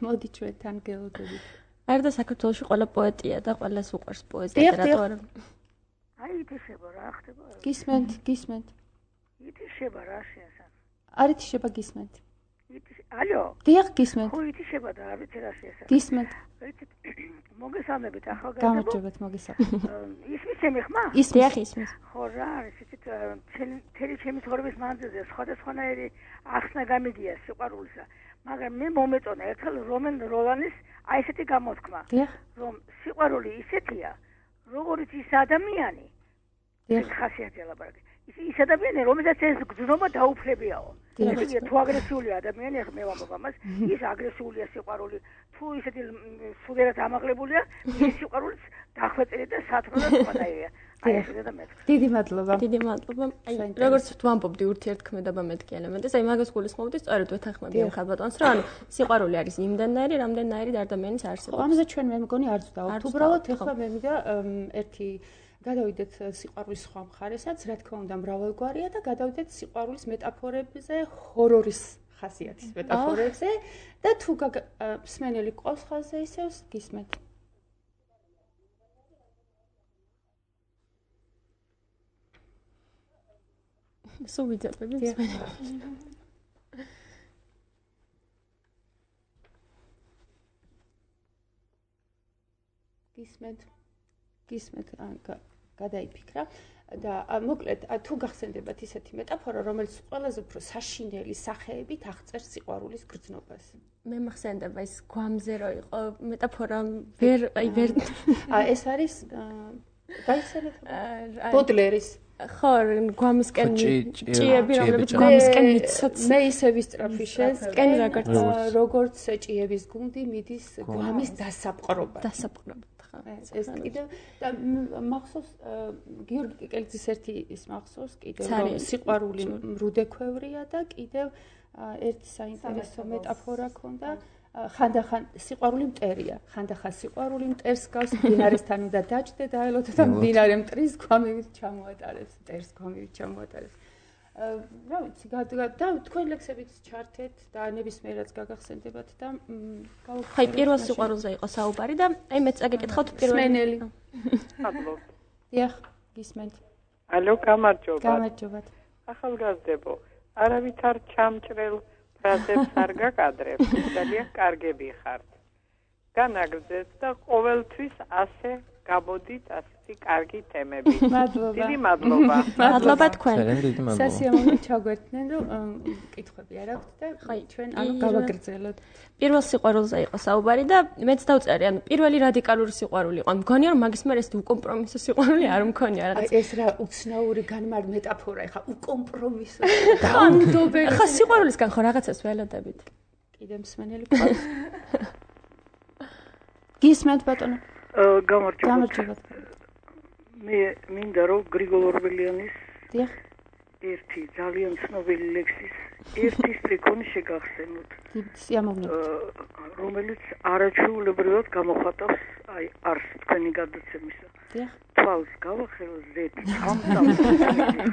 მოდი ჩვენთან გელოდებით. არდა საქართველოში ყველა პოეტია და ყველას უყვარს პოეზია და რატო არა? აი ითიშება რა ხდება? გისმენთ, გისმენთ. ითიშება რა შეასახ. არ ითიშება გისმენთ. ითიშ ალო? დიახ, გისმენთ. ხო ითიშება და არ ვიცი რა შეასახ. გისმენთ. მოგესალმებით ახალგაზრდა. გამარჯობათ, მოგესალმებით. ისმის ჩემი ხმა? ისმის, ისმის. ხო რა არის, იცით, თელი ჩემი ცხოვრების მანძილზე სხვადასხვანაირი ახსნა გამიგია სიყვარულისა, მაგრამ მე მომეწონა ერთხელ რომენ როლანის აი ესეთი გამოთქმა, რომ სიყვარული ისეთია, როგორც ის ადამიანი, ეს ხასიათი ლაპარაკი, ის ადამიანი რომელსაც ეს გზნობა დაუფლებიაო. ისე თუ აგრესიული ადამიანი ახლა მე ვამბობ ამას, ის აგრესულია სიყვარული. თუ ისეთი სულიერად ამაღლებულია, ის სიყვარულიც დახვეწილი და სათნო და სხვადასხვაა. აი ეს და მე. დიდი მადლობა. დიდი მადლობა. აი როგორც ვამბობდი ურთიერთქმედება მეთქი ელემენტი, აი მაგას გულისხმობდი სწორედ ვეთანხმები ამ ხალბატონს, რომ ანუ სიყვარული არის იმდენნაირი, რამდენნაირი ადამიანის არსებობს. ამაზე ჩვენ მე მგონი არ ვწდავთ. უბრალოდ ეხლა მე მინდა ერთი გადავიდეთ სიყვარულის სხვა მხარესაც, რა თქმა უნდა მრავალგვარია და გადავიდეთ სიყვარულის მეტაფორებზე, ჰორორის ხასიათის მეტაფორებზე და თუ მსმენელი ყავს ხაზზე ისევ გისმენთ. სულ ვიძებები მსმენელი. გისმენთ. გისმენთ გადაიფიქრა და მოკლედ თუ გახსენდებათ ისეთი მეტაფორა, რომელიც ყველაზე უფრო საშინელი სახეებით აღწერს სიყვარულის გრძნობას. მე მახსენდება ის გვამზე რო იყო მეტაფორა ვერ აი ვერ ეს არის გაიცანეთ ბოდლერის ხო გვამისკენ ჭიები რომლებიც გვამისკენ მიცოც მე ისე ვისწრაფი შესკენ როგორც როგორც ჭიების გუნდი მიდის გვამის დასაპყრობად დასაპყრობად ეს კიდევ და მახსოვს გიორგი კიკელიძის ერთი ის მახსოვს კიდევ რომ სიყვარული მრუდექვევრია და კიდევ ერთი საინტერესო მეტაფორა ქონდა ხანდახან სიყვარული მტერია ხანდახან სიყვარული მტერს გავს მდინარესთან უნდა დაჭდე და აელოთ და მდინარე მტრის გვამივით ჩამოატარებს მტერს გვამივით ჩამოატარებს რა ვიცი და თქვენ ლექსებით ჩართეთ და ნებისმიერად გაგახსენდებათ და ხაი პირველ სიყვარულზე იყო საუბარი და აი მეც წაგეკითხავთ პირველ სმენელი მადლობა დიახ გისმენთ ალო გამარჯობა გამარჯობა ახალგაზრდებო არავით არ ჩამჭრელ ფრაზებს არ გაკადრებ ძალიან კარგები ხართ განაგრძეთ და ყოველთვის ასე გამოდით ასეთი კარგი თემები მადლობა დიდი მადლობა მადლობა თქვენ სასიამოვნო ჩაგვერთნენ რომ კითხვები არ აქვთ და ჩვენ ანუ გავაგრძელოთ პირველ სიყვარულზე იყო საუბარი და მეც დავწერე ანუ პირველი რადიკალური სიყვარული იყო მგონია რომ მაგის მერე ეს უკომპრომისო სიყვარული არ მქონია რაღაც ეს რა უცნაური განმარ მეტაფორა ეხა უკომპრომისო დაუნდობელი ხა სიყვარულისგან ხო რაღაცას ველოდებით კიდე მსმენელი ყავს გისმენთ ბატონო გამარჯობა. მე მინდა რომ გრიგოლ ორბელიანის დიახ ერთი ძალიან ცნობილი ლექსის ერთი სტრიქონი შეგახსენოთ. სიამოვნებით. რომელიც არაჩვეულებრივად გამოხატავს აი არს თქვენი გადაცემისა. დიახ. თვალს გავახელო ზეთ ამწავს.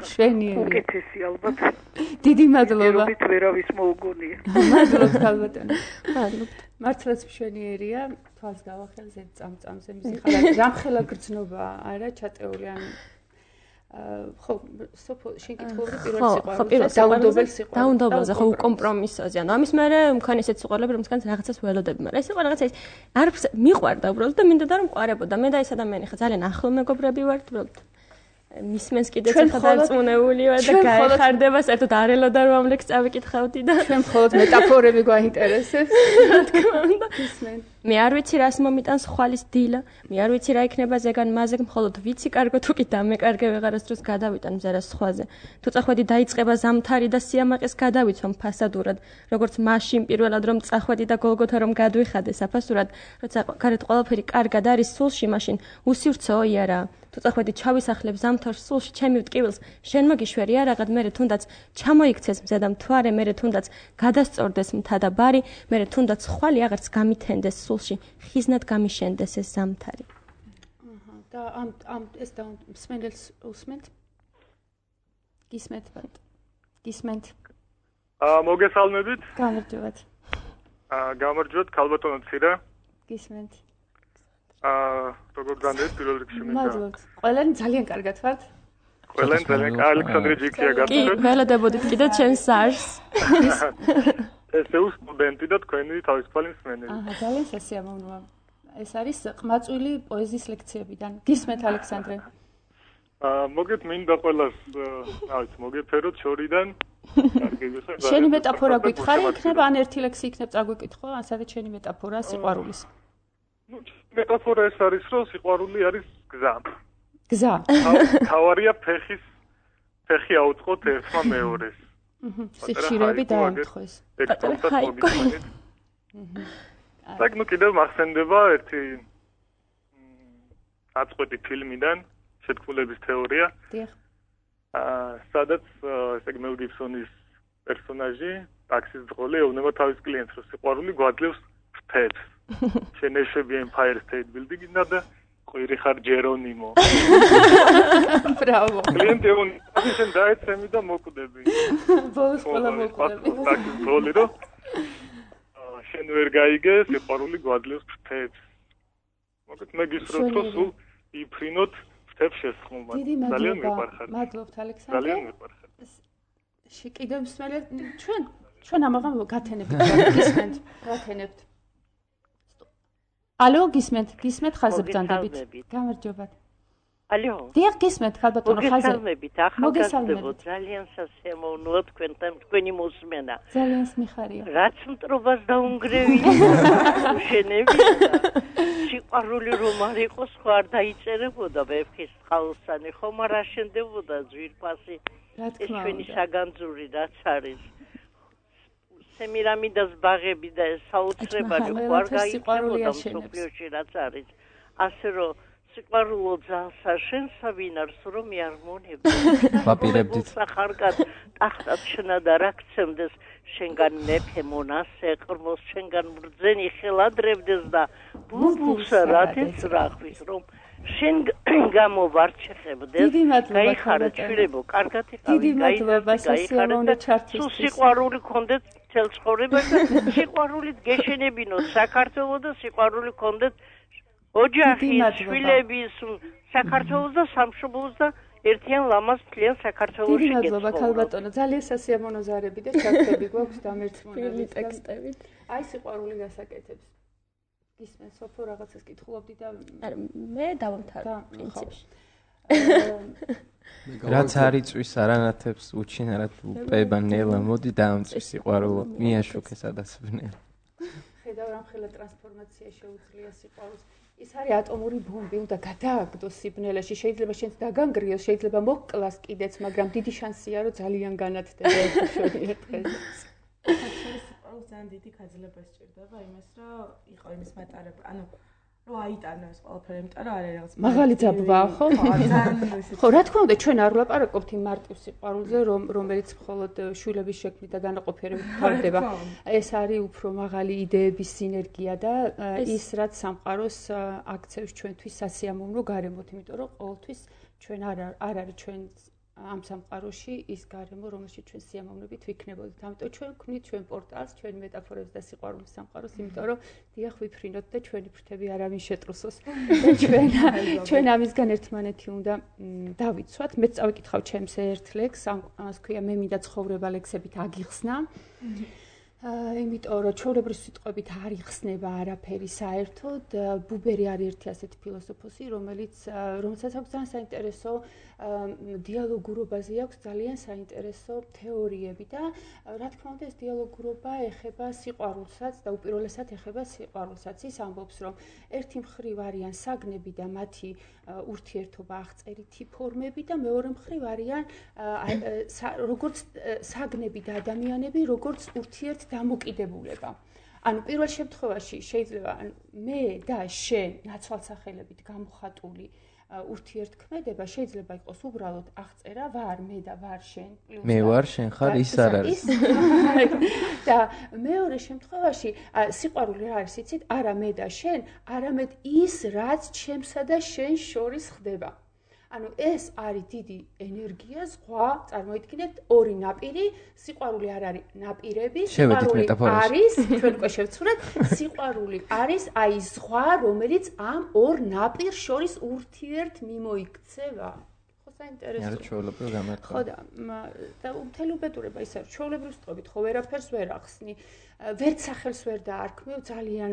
მშვენიერი. უკეთესი ალბათ. დიდი მადლობა. ერთობით ვერავის მოუგონია. მადლობა ხალბატონო. მადლობა. მართლაც მშვენიერია თვალს გავახელ ზეთ წამწამზე მისი ხალხი რამხელა გრძნობა არა ჩატეული ან ხო სოფო შენ კითხულობდი პირველ სიყვარულზე დაუნდობელ სიყვარულზე დაუნდობელზე ხო უკომპრომისოზე ანუ ამის მერე მქონი ესეთ სიყვარულები რომელსაც რაღაცას ველოდები მაგრამ ეს იყო რაღაცა ის არ მიყვარდა უბრალოდ და მინდოდა რომ მყარებოდა მე და ეს ადამიანი ხა ძალიან ახლო მეგობრები ვართ უბრალოდ მისმენს კიდეც ხა დარწმუნებული ვარ და გაიხარდება საერთოდ არ ელოდა რომ ამ ლექს წავიკითხავდი და ჩვენ მხოლოდ მეტაფორები გვაინტერესებს რა თქმა უნდა მე არ ვიცი რას მომიტანს ხვალის დილა მე არ ვიცი რა იქნება ზეგან მაზეგ მხოლოდ ვიცი კარგო თუ კი დამეკარგე ვეღარას დროს გადავიტან მზერას სხვაზე თუ წახვედი დაიწყება ზამთარი და სიამაყეს გადავიცვამ ფასადურად როგორც მაშინ პირველად რომ წახვედი და გოლგოთა რომ გადვიხადე საფასურად როცა გარეთ ყველაფერი კარგად არის სულში მაშინ უსივრცეო იარა თუ წახვედი ჩავისახლებ ზამთარს სულში ჩემი ვტკივილს შენ მოგიშვერია რაღაც მერე თუნდაც ჩამოიქცეს მზე და მთვარე მერე თუნდაც გადასწორდეს მთა და ბარი მერე თუნდაც ხვალი აღარც გამითენდეს სულში ხიზნად გამიშენდეს ეს ზამთარი აჰა და ამ ამ ეს და მსმენელს უსმენთ გისმენთ ბატ გისმენთ აა მოგესალმებით გამარჯობათ აა გამარჯობათ ქალბატონო ცირა გისმენთ აა როგორ განდეთ პირველ რიგში მინდა მადლობთ ყველანი ძალიან კარგად ვართ ყველანი ძალიან ალექსანდრე ჯიქია გაგცეთ კი ველოდებოდით კიდე ჩემს სარს ესე სტუდენტი და თქვენი თავისუფალი მსმენელი აჰა ძალიან სასიამოვნოა ეს არის ყმაწვილი პოეზიის ლექციებიდან გისმენთ ალექსანდრე აა მოგეთ მინდა ყველას რა ვიცი მოგეფეროთ შორიდან კარგი გიხარ შენი მეტაფორა გითხარი იქნება ან ერთი ლექსი იქნება წაგვიკითხო ან სადაც შენი მეტაფორა სიყვარულის ну მეტაფორა ეს არის რომ სიყვარული არის გზა გზა თავარია ფეხის ფეხი აუწყოთ ერთმა მეორეს. სიხშირეები დაემთხეს. так, ну კიდევ მახსენდება ერთი აწყვეტი ფილმიდან, შეთქმულების თეორია. დიახ. აა, სადაც ესე იგი მელ გიბსონის პერსონაჟი, ტაქსის ძღოლი ეუბნება თავის კლიენტს, რომ სიყვარული გვაძლევს ფრთებს. შენ ეშვები Empire State Building-იდან და ყვირი ხარ ჯერონიმო. ბრავო. კლიენტი ეუბნება, შენ დაეცემი და მოკვდები. ბოლოს ყველა მოკვდები. ტაქსის ძღოლი რომ შენ ვერ გაიგე, სიყვარული გვაძლევს ფრთებს. მოგეთ მე გისურვებთ, რომ სულ იფრინოთ ფრთებს შესხმობა. ძალიან მიყვარხარ. მადლობთ ალექსანდრე. ძალიან მიყვარხარ. კიდევ მსმენელი ჩვენ ჩვენ ამაღამ გათენებთ, გისმენთ, გათენებთ. ალო, გისმენთ, გისმენთ ხაზე ბრძანდებით. გამარჯობათ. ალო. დიახ, გისმენთ ხალბატონო ხაზე. მოგესალმებით, ახალგაზრდებო, ძალიან სასიამოვნოა თქვენთან თქვენი მოსმენა. ძალიან მიხარია. რაც მტრობას დაუნგრევია. შენები. სიყვარული რომ არ იყოს, ხო არ დაიწერებოდა ვეფხის ხალხსანი, ხომ არ აშენდებოდა ძვირფასი. ეს ჩვენი საგანძური რაც არის. სემირამიდას ბაღები და საოცრებანი ხო არ გაიწერებოდა მსოფლიოში რაც არის. ასე რომ სიყვარულო ძალსა შენსა ვინ არს რომ მიარმონებდა. ვაპირებდით. სახარკად ტახტად შნა და რაქცემდეს შენგან მეფე მონასე ყრმოს შენგან ბრძენი ხელადრებდეს და ბუბულსა რათეს რახვის რომ შენ გამოვარჩეხებდეს. გაიხარა ჩვილებო, კარგად იყავი, გაიხარა ჩართვის. სულ სიყვარული გქონდეთ მთელ ცხოვრებაში და სიყვარულით გეშენებინოთ საქართველოს და სიყვარული გქონდეთ ოჯახი, შვილები, საქართველოს და სამშობლოს და ერთიან ლამაზ მთლიან საქართველოში გეცხოვრო. მადლობა ქალბატონო, ძალიან სასიამოვნო ზარები და ჩართები გვაქვს დამერწმუნებით ტექსტებით. აი სიყვარული გასაკეთებს. გისმენ სოფო რაღაცას კითხულობდი და მე დავამთავრე პრინციპში. რაც არ იწვის არანათებს უჩინარად უპება ნელა მოდი დაამწვის სიყვარულო მიაშუქე სადასვენელი. ხედავ რამხელა ტრანსფორმაცია შეუძლია სიყვარულს. ის არის ატომური ბომბი, უნდა გადააგდოს სიბნელეში, შეიძლება შენც დაგანგრიოს, შეიძლება მოკლას კიდეც, მაგრამ დიდი შანსია რომ ძალიან განათდება ეს შორი დღეს. სიყვარულს ძალიან დიდი გაძლება სჭირდება იმას, რომ იყო იმის მატარება, ანუ რომ აიტანო ეს ყველაფერი, იმიტომ რომ არის რაღაც მაღალი ძაბვა, ხო? ხო, რა თქმა უნდა, ჩვენ არ ვლაპარაკობთ იმ მარტივ სიყვარულზე, რომ რომელიც მხოლოდ შვილების შექმნით და განაყოფიერებით ხარდება. ეს არის უფრო მაღალი იდეების სინერგია და ის რაც სამყაროს აქცევს ჩვენთვის სასიამოვნო გარემოთ, იმიტომ რომ ყოველთვის ჩვენ არ არ არის ჩვენ ამ სამყაროში ის გარემო, რომელშიც ჩვენ სიამოვნებით ვიქნებოდით. ამიტომ ჩვენ ვქმნით ჩვენ პორტალს, ჩვენ მეტაფორებს და სიყვარულის სამყაროს, იმიტომ რომ დიახ ვიფრინოთ და ჩვენი ფრთები არავინ შეტრუსოს. და ჩვენ ჩვენ ამისგან ერთმანეთი უნდა დავიცვათ. მე წავიკითხავ ჩემს ერთ ლექს, ამას ქვია მე მინდა ცხოვრება ლექსებით აგიხსნა. იმიტომ რომ ჩვეულებრივ სიტყვებით არ იხსნება არაფერი საერთოდ. ბუბერი არის ერთი ასეთი ფილოსოფოსი, რომელიც რომელსაც აქვს ძალიან საინტერესო დიალოგურობაზე აქვს ძალიან საინტერესო თეორიები და რა თქმა უნდა ეს დიალოგურობა ეხება სიყვარულსაც და უპირველესად ეხება სიყვარულსაც. ის ამბობს, რომ ერთი მხრივ არიან საგნები და მათი ურთიერთობა აღწერითი ფორმები და მეორე მხრივ არიან როგორც საგნები და ადამიანები, როგორც ურთიერთ დამოკიდებულება. ანუ პირველ შემთხვევაში შეიძლება მე და შენ ნაცვალსახელებით გამოხატული ურთიერთქმედება შეიძლება იყოს უბრალოდ აღწერა ვარ მე და ვარ შენ პლუს მე ვარ შენ ხარ ის არ არის. და მეორე შემთხვევაში სიყვარული რა არის იცით? არა მე და შენ, არამედ ის რაც ჩემსა და შენ შორის ხდება. ანუ ეს არის დიდი ენერგია, ზღვა, წარმოიდგინეთ ორი ნაპირი, სიყვარული არ არის ნაპირები, სიყვარული არის, ჩვენ უკვე შევცვლეთ, სიყვარული არის აი ზღვა, რომელიც ამ ორ ნაპირ შორის ურთიერთ მიმოიქცევა. ხო საინტერესოა. არა ჩვეულებრივ გამართვა. ხო და და მთელი უბედურება ის არის, ჩვეულებრივ ვსწრებით, ხო ვერაფერს ვერ ახსნი. ვერც სახელს ვერ დაარქმევ ძალიან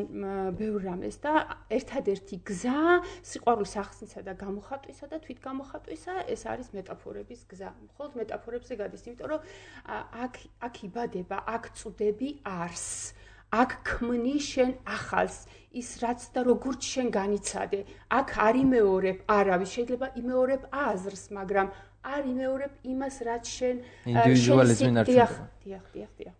ბევრ რამეს და ერთადერთი გზა სიყვარულის ახსნისა და გამოხატვისა და თვითგამოხატვისა ეს არის მეტაფორების გზა. მხოლოდ მეტაფორებზე გადის, იმიტომ რომ აქ აქ იბადება, აქ წვდები არს. აქ ქმნი შენ ახალს, ის რაც და როგორც შენ განიცადე. აქ არ იმეორებ არავის, შეიძლება იმეორებ აზრს, მაგრამ არ იმეორებ იმას, რაც შენ ინდივიდუალიზმი ნარჩუნდება. დიახ, დიახ, დიახ.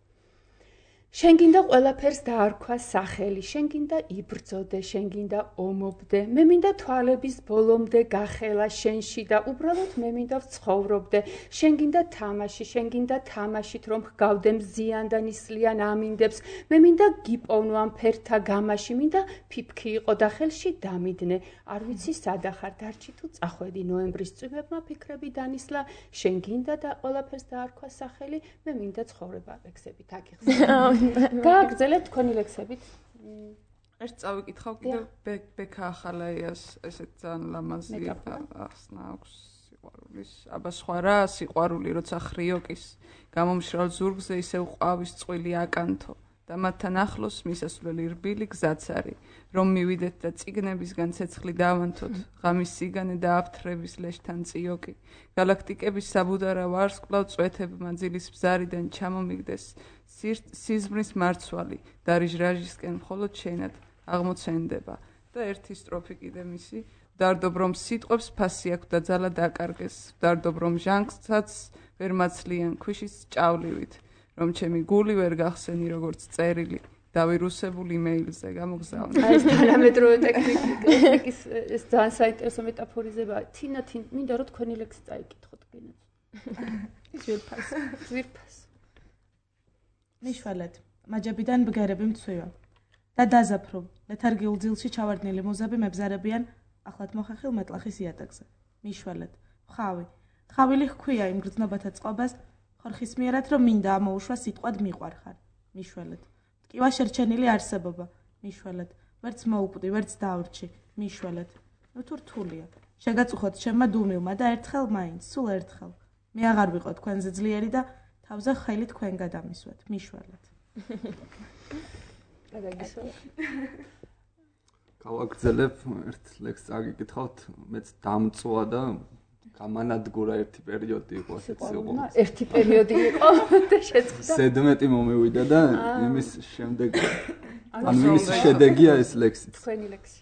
შენ გინდა ყველაფერს დაარქვა სახელი, შენ გინდა იბრძოდე, შენ გინდა ომობდე, მე მინდა თვალების ბოლომდე გახელა შენში და უბრალოდ მე მინდა ვცხოვრობდე, შენ გინდა თამაში, შენ გინდა თამაშით რომ ჰგავდე მზიან და ნისლიან ამინდებს, მე მინდა გიპოვნო ამ ფერთა გამაში, მინდა ფიფქი იყო და ხელში დამიდნე, არ ვიცი სადახარ დარჩი თუ წახვედი ნოემბრის წვიმებმა ფიქრები დანისლა, შენ გინდა და ყველაფერს დაარქვა სახელი, მე მინდა ცხოვრება ლექსებით აგიხსნა. გააგრძელებთ თქვენი ლექსებით? ერთ წავიკითხავ კიდევ ბექა ახალაიას ესეთ ძალიან ლამაზი ახსნა აქვს სიყვარულის. აბა სხვა რა სიყვარული, როცა ხრიოკის გამომშრალ ზურგზე ისევ ყვავის წყვილი აკანთო და მათთან ახლოს მისასვლელი რბილი გზაც არის, რომ მივიდეთ და წიგნებისგან ცეცხლი დავანთოთ, ღამის სიგანე და აფთრების ლეშთან წიოკი, გალაქტიკების საბუდარა ვარსკვლავ წვეთებმა ძილის ბზარიდან ჩამომიგდეს სიზმრის მარცვალი და რიჟრაჟისკენ მხოლოდ შენად აღმოცენდება და ერთი სტროფი კიდე მისი ვდარდობ რომ სიტყვებს ფასი აქვს და ძალა დაკარგეს ვდარდობ რომ ჟანგსაც ვერ მაცლიან ქვიშის ჭავლივით რომ ჩემი გული ვერ გახსენი როგორც წერილი დავირუსებული მეილზე გამოგზავნე. აი ეს პარამეტრული ტექნიკის ეს ძალიან საინტერესო მეტაფორიზებაა. თინა თინ მინდა რომ თქვენი ლექსი წაიკითხოთ კიდე. ძვირფას, ძვირფას. მიშვალეთ, მაჯებიდან ბგერები მცვივა და დაზაფრო, ლეთარგიულ ძილში ჩავარდნილი მუზები მებზარებიან ახლად მოხახილ მეტლახის იატაკზე. მიშვალეთ, ხავი, ხავილი ჰქვია იმ გრძნობათა წყობას, ხორხისმიერად რომ მინდა ამოუშვა სიტყვად მიყვარხარ. მიშვალეთ, ტკივა შერჩენილი არსებობა. მიშვალეთ, ვერც მოუკვდი, ვერც დავრჩი. მიშვალეთ, ნუ თუ რთულია. შეგაწუხოთ ჩემმა დუმილმა და ერთხელ მაინც, სულ ერთხელ. მე აღარ ვიყო თქვენზე ძლიერი და თავზე ხელი თქვენ გადამისვათ. მიშვალეთ. გავაგრძელებ ერთ ლექსს აგიკითხავთ, მეც დამწვა და გამანადგურა ერთი პერიოდი იყო ასეც იყო. ერთი პერიოდი იყო და შეწყდა. ზედმეტი მომივიდა და იმის შემდეგ ანუ იმის შედეგია ეს ლექსი. თქვენი ლექსი.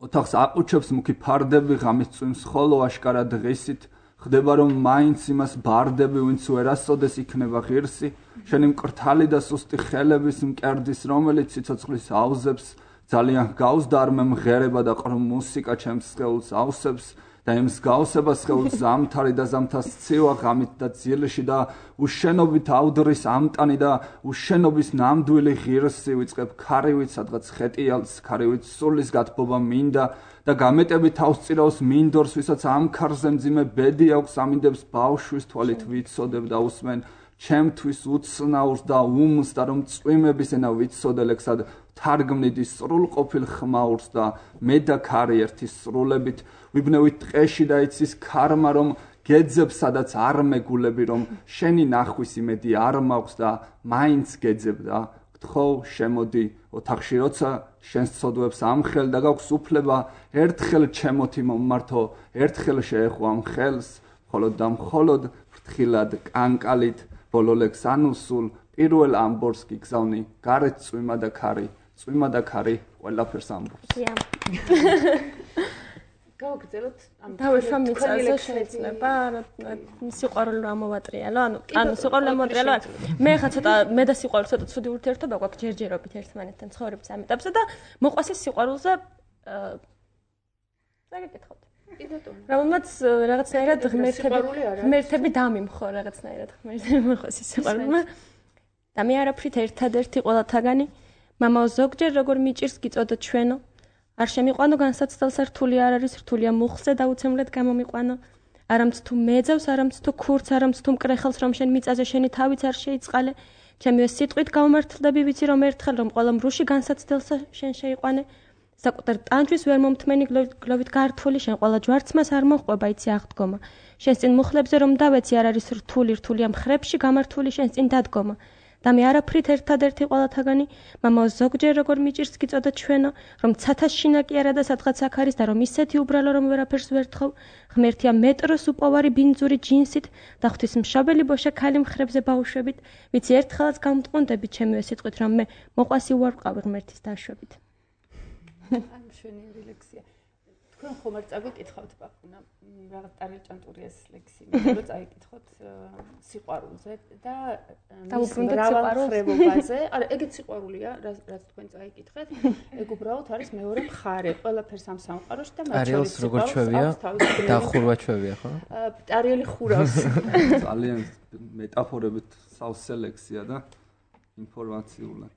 ოთახს აყუჩებს მუქი ფარდები ღამის წვიმს ხოლო აშკარა დღისით ხდება რომ მაინც იმას ბარდები ვინც ვერასოდეს იქნება ღირსი შენი მკრთალი და სუსტი ხელების მკერდის რომელიც ციცოცხლის აუზებს ძალიან გავს და არ მემღერება და ყრუ მუსიკა ჩემს სხეულს ავსებს და იმ მსგავსებას სხეულს ზამთარი და ზამთას ცივა ღამით და ძილში და უშენობით ავდრის ამტანი და უშენობის ნამდვილი ღირსი ვიწყებ ქარივით სადღაც ხეტიალს ქარივით სულის გათბობა მინდა და გამეტები თავს წირავს მინდორს ვისაც ამ ქარზე მძიმე ბედი აქვს ამინდებს ბავშვის თვალით ვიცოდებ და უსმენ ჩემთვის უცნაურს და უმს და რომ წვიმების ენა ვიცოდელექსად თარგმნიდი სრულყოფილ ხმაურს და მე და ქარი ერთი სრულებით ვიბნევით ტყეში და იცის ქარმა რომ გეძებ სადაც არ მეგულები რომ შენი ნახვის იმედი არ მაქვს და მაინც გეძებ და გთხოვ შემოდი ოთახში როცა შენს ცოდვებს ამხელ და გაქვს უფლება ერთხელ ჩემოთი მომმართო ერთხელ შეეხო ამ ხელს მხოლოდ და მხოლოდ ფრთხილად კანკალით ბოლო ლექს ანუსულ პირველ ამბორს გიგზავნი გარეთ წვიმა და ქარი წვიმა და ქარი ყველაფერს ამბობს. გავაგრძელოთ ამ დავეშვა მიწაზე შეიძლება სიყვარული რა მოვატრიალო ანუ ანუ სიყვარული მოვატრიალო მე ხა ცოტა მე და სიყვარული ცოტა ცუდი ურთიერთობა გვაქვს ჯერჯერობით ერთმანეთთან ცხოვრების ამ ეტაპზე და მოყვას ეს სიყვარულზე წაგეკითხოთ რომელმაც რაღაცნაირად ღმერთები ღმერთები დამიმხო რაღაცნაირად ღმერთები მოყვას ეს სიყვარულმა და მე არაფრით ერთადერთი ყველათაგანი მამაო ზოგჯერ როგორ მიჭირს გიწოდო ჩვენო არ შემიყვანო განსაცდელს რთული არ არის რთულია მუხზე დაუცემლად გამომიყვანო არამც თუ მეძავს არამც თუ ქურც არამც თუ მკრეხელს რომ შენ მიწაზე შენი თავიც არ შეიწყალე ჩემი ეს სიტყვით გავმართლდები ვიცი რომ ერთხელ რომ ყველა მრუში განსაცდელსა შენ შეიყვანე საკუთარ ტანჯვის ვერ მომთმენი გლოვით გართული შენ ყველა ჯვარცმას არ მოყვება იცი აღდგომა შენ წინ მუხლებზე რომ დავეცი არ არის რთული რთულია მხრებში გამართული შენ წინ დადგომა და მე არაფრით ერთადერთი ყველათაგანი მამაო ზოგჯერ როგორ მიჭირს გიწოდა ჩვენო რომ ცათას შინაკი არა და სადღაც აქ არის და რომ ისეთი უბრალო რომ ვერაფერს ვერ თხოვ ღმერთია მეტროს უპოვარი ბინძური ჯინსით და ღვთისმშობელი ბოშა ქალი მხრებზე ბავშვებით ვიცი ერთხელაც გამტყუნდები ჩემივე სიტყვით რომ მე მოყვასი უარყავი ღმერთის დაშვებით ამ შვენიერი ლექსია თქვენ ხომ არ წაგიკითხავთ პაპუნა რაღაც ტარელჭანტურიას ლექსი, მე რომ წაიკითხოთ სიყვარულზე და მრავალფეროვანზე. არა, ეგეც სიყვარულია, რაც თქვენ წაიკითხეთ. ეგ უბრალოდ არის მეორე მხარე, ყველაფერს ამ სამყაროში და მათ შორის არის როგორ ჩვევია? დახურვა ჩვევია, ხო? ტარიელი ხურავს. ძალიან მეტაფორებით სავსე ლექსია და ინფორმაციულად.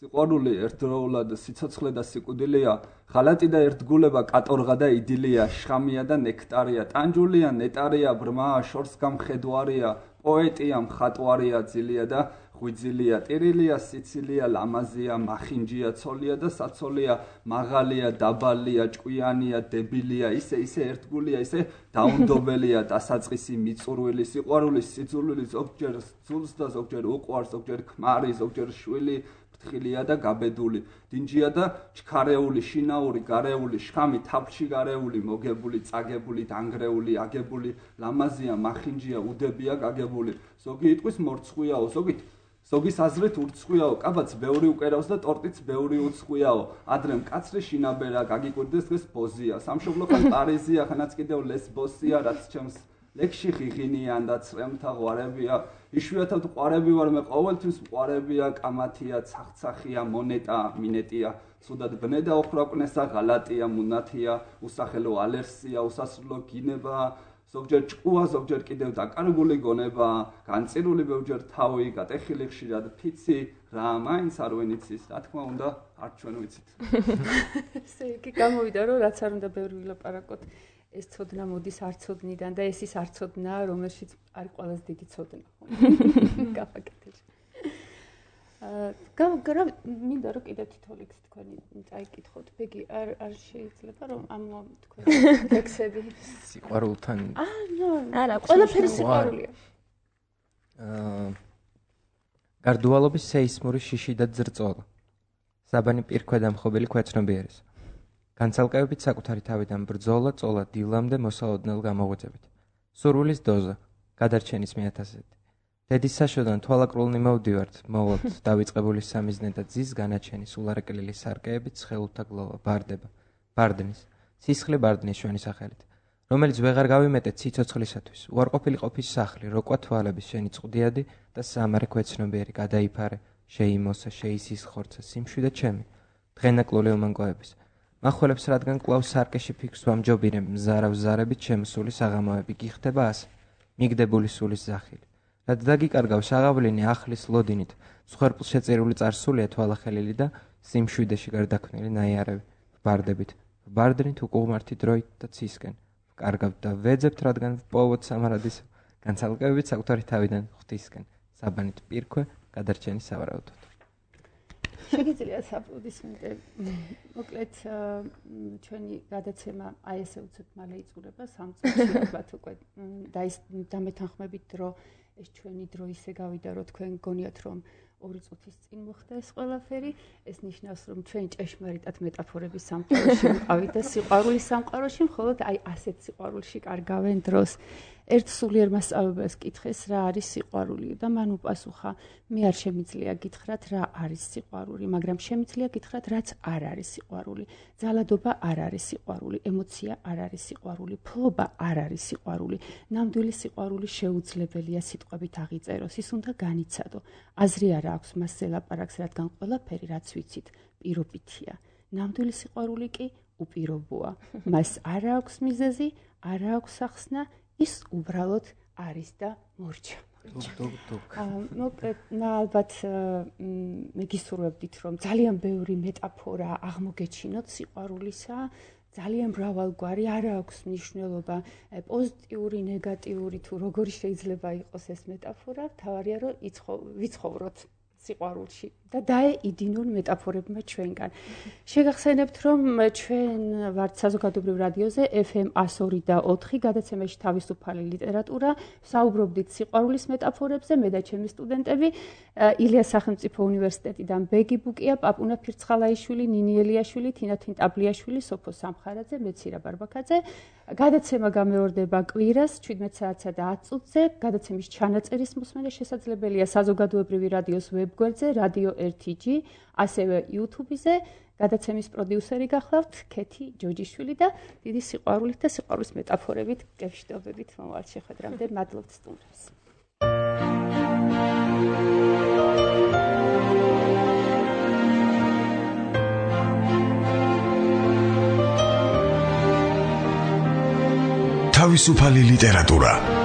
სიყვარული ერთდროულად სიცოცხლე და სიკვდილია, ღალატი და ერთგულება, კატორღა და იდილია, შხამია და ნექტარია, ტანჯულია, ნეტარია, ბრმაა, შორს გამხედვარია, პოეტია, მხატვარია, ძილია და ღვიძილია, ტირილია, სიცილია, ლამაზია, მახინჯია, ცოლია და საცოლია, მაღალია, დაბალია, ჭკვიანია, დებილია, ისე ისე ერთგულია, ისე დაუნდობელია, დასაწყისი, მიწურვილი, სიყვარული, სიძულვილი, ზოგჯერ ძულს და ზოგჯერ უყვარს, ზოგჯერ ქმარი, ზოგჯერ შვილი, ფრთხილია და გაბედული, დინჯია და ჩქარეული, შინაური, გარეული, შხამი, თაფლში გარეული, მოგებული, წაგებული, დანგრეული, აგებული, ლამაზია, მახინჯია, უდებია, გაგებული, ზოგი იტყვის მორცხვიაო, ზოგი ზოგის აზრით ურცხვიაო, კაბაც ბევრი უკერავს და ტორტიც ბევრი უცხვიაო, ადრე მკაცრი შინაბერა, გაგიკვირდეს დღეს ბოზია, სამშობლო ხან პარიზია, ხანაც კიდევ ლესბოსია, რაც ჩემს ლექსში ღიღინიან და წრემთა ღვარებია, იშვიათად ყვარები ვარ მე ყოველთვის ყვარებია, კამათია, ცახცახია, მონეტა, მინეტია, ცუდად ბნედა ოხრაკნესა, ღალატია, მუნათია, უსახელო ალერსია, უსასრულო გინება, ზოგჯერ ჭკუა, ზოგჯერ კიდევ დაკარგული გონება, განწირული ბევრჯერ თავი, გატეხილი ხშირად ფიცი, რა მაინც არ ვენიცის, რა თქმა უნდა, არ ჩვენ ვიცით. ესე იგი გამოვიდა, რომ რაც არ უნდა ბევრი ვილაპარაკოთ, ეს ცოდნა მოდის არცოდნიდან და ეს ის არცოდნა, რომელშიც არის ყველაზე დიდი ცოდნა. გავაკეთე. აა გა მინდა რომ კიდევ თითო ლექსი თქვენი წაიკითხოთ. ბეგი არ არ შეიძლება რომ ამ თქვენ ლექსები სიყვარულთან აა ნო არა ყველაფერი სიყვარულია. აა გარდუალობის სეისმური შიში და ძრწოლა. საბანი პირქვედამხობელი ქვეცნობიერის. განცალკევებით საკუთარი თავიდან ბრძოლა, წოლა დილამდე მოსაოდნელ გამოღვაწებით. სურვილის დოზა, გადარჩენის მეათასეთი. დედის საშოდან თვალაკრულნი მოვდივართ, მოვლოთ დავიწყებული სამიზნე და ძის განაჩენის ულარაკლილი სარკეებით ცხელუთა გლოვა, ბარდება, ბარდნის, სისხლი ბარდნის შვენი სახელით, რომელიც ვეღარ გავიმეტეთ სიცოცხლისათვის, უარყოფილი ყოფის სახლი, როკვა თვალების შენი წყდიადი და სამარე ქვეცნობიერი გადაიფარე, შეიმოსა, შეისისხორცა, სიმშვიდე ჩემი, დღენაკლული ომანკოების. მახველებს რადგან კვლავ სარკეში ფიქრს ვამჯობინებ, მზარავ ზარებით შემოსული საღამოები გიხდება ასე, მიგდებული სულის ზახილი. რაც დაგიკარგავს აღავლინი ახლის ლოდინით, მსხვერპლ შეწირული წარსულია თვალახელილი და სიმშვიდეში გარდაქმნილი ნაიარევი, ვბარდებით, ვბარდნით უკუღმართი დროით და ცისკენ, ვკარგავთ და ვეძებთ, რადგან ვპოვოთ სამარადის, განცალკევებით საკუთარი თავიდან ღვთისკენ, საბანით პირქვე, გადარჩენის სავარაუდოდ. შეგიძლიათ აპლოდისმენტი. მოკლედ ჩვენი გადაცემა აი ესე უცებ მალე იწურება სამ წუთში ალბათ უკვე დამეთანხმებით დრო ეს ჩვენი დრო ისე გავიდა რომ თქვენ გონიათ რომ ორი წუთის წინ მოხდა ეს ყველაფერი ეს ნიშნავს რომ ჩვენ ჭეშმარიტად მეტაფორების სამყაროში ვიყავით და სიყვარულის სამყაროში მხოლოდ აი ასეთ სიყვარულში კარგავენ დროს ერთ სულიერ მასწავლებელს კითხეს რა არის სიყვარული და მან უპასუხა მე არ შემიძლია გითხრათ რა არის სიყვარული მაგრამ შემიძლია გითხრათ რაც არ არის სიყვარული ძალადობა არ არის სიყვარული ემოცია არ არის სიყვარული ფლობა არ არის სიყვარული ნამდვილი სიყვარული შეუძლებელია სიტყვებით აღიწეროს ის უნდა განიცადო აზრი არ აქვს მასზე ლაპარაკს რადგან ყველაფერი რაც ვიცით პირობითია ნამდვილი სიყვარული კი უპირობოა მას არ აქვს მიზეზი არ აქვს ახსნა ის უბრალოდ არის და მორჩა. მოკლედ, ალბათ მე გისურვებდით, რომ ძალიან ბევრი მეტაფორა აღმოგეჩინოთ სიყვარულისა, ძალიან მრავალგვარი, არ აქვს მნიშვნელობა პოზიტიური, ნეგატიური თუ როგორი შეიძლება იყოს ეს მეტაფორა, თავარია რომ ვიცხოვროთ სიყვარულში და დაეიდინონ მეტაფორებმა ჩვენგან. შეგახსენებთ, რომ ჩვენ ვართ საზოგადოებრივ რადიოზე ეფ ემ one oh two და ოთხი გადაცემაში თავისუფალი ლიტერატურა, საუბრობდით სიყვარულის მეტაფორებზე, მე და ჩემი სტუდენტები, ილიას სახელმწიფო უნივერსიტეტიდან ბეგი ბუკია, პაპუნა ფირცხალაიშვილი, ნინი ელიაშვილი, თინათინ ტაბლიაშვილი, სოფო სამხარაძე, მეცირა ბარბაკაძე. გადაცემა გამეორდება კვირას შვიდმეტ საათსა და ათ წუთზე. გადაცემის ჩანაწერის მოსმენა შესაძლებელია საზოგადოებრივი რადიოს ვებ ვებგვერდზე რადიო ერთი ჯი, ასევე YouTube-ზე. გადაცემის პროდიუსერი გახლავთ ქეთი ჯოჯიშვილი და დიდი სიყვარულით და სიყვარულის მეტაფორებით გეშდობებით მომავალ შეხვედრამდე. მადლობთ სტუმრებს. თავისუფალი ლიტერატურა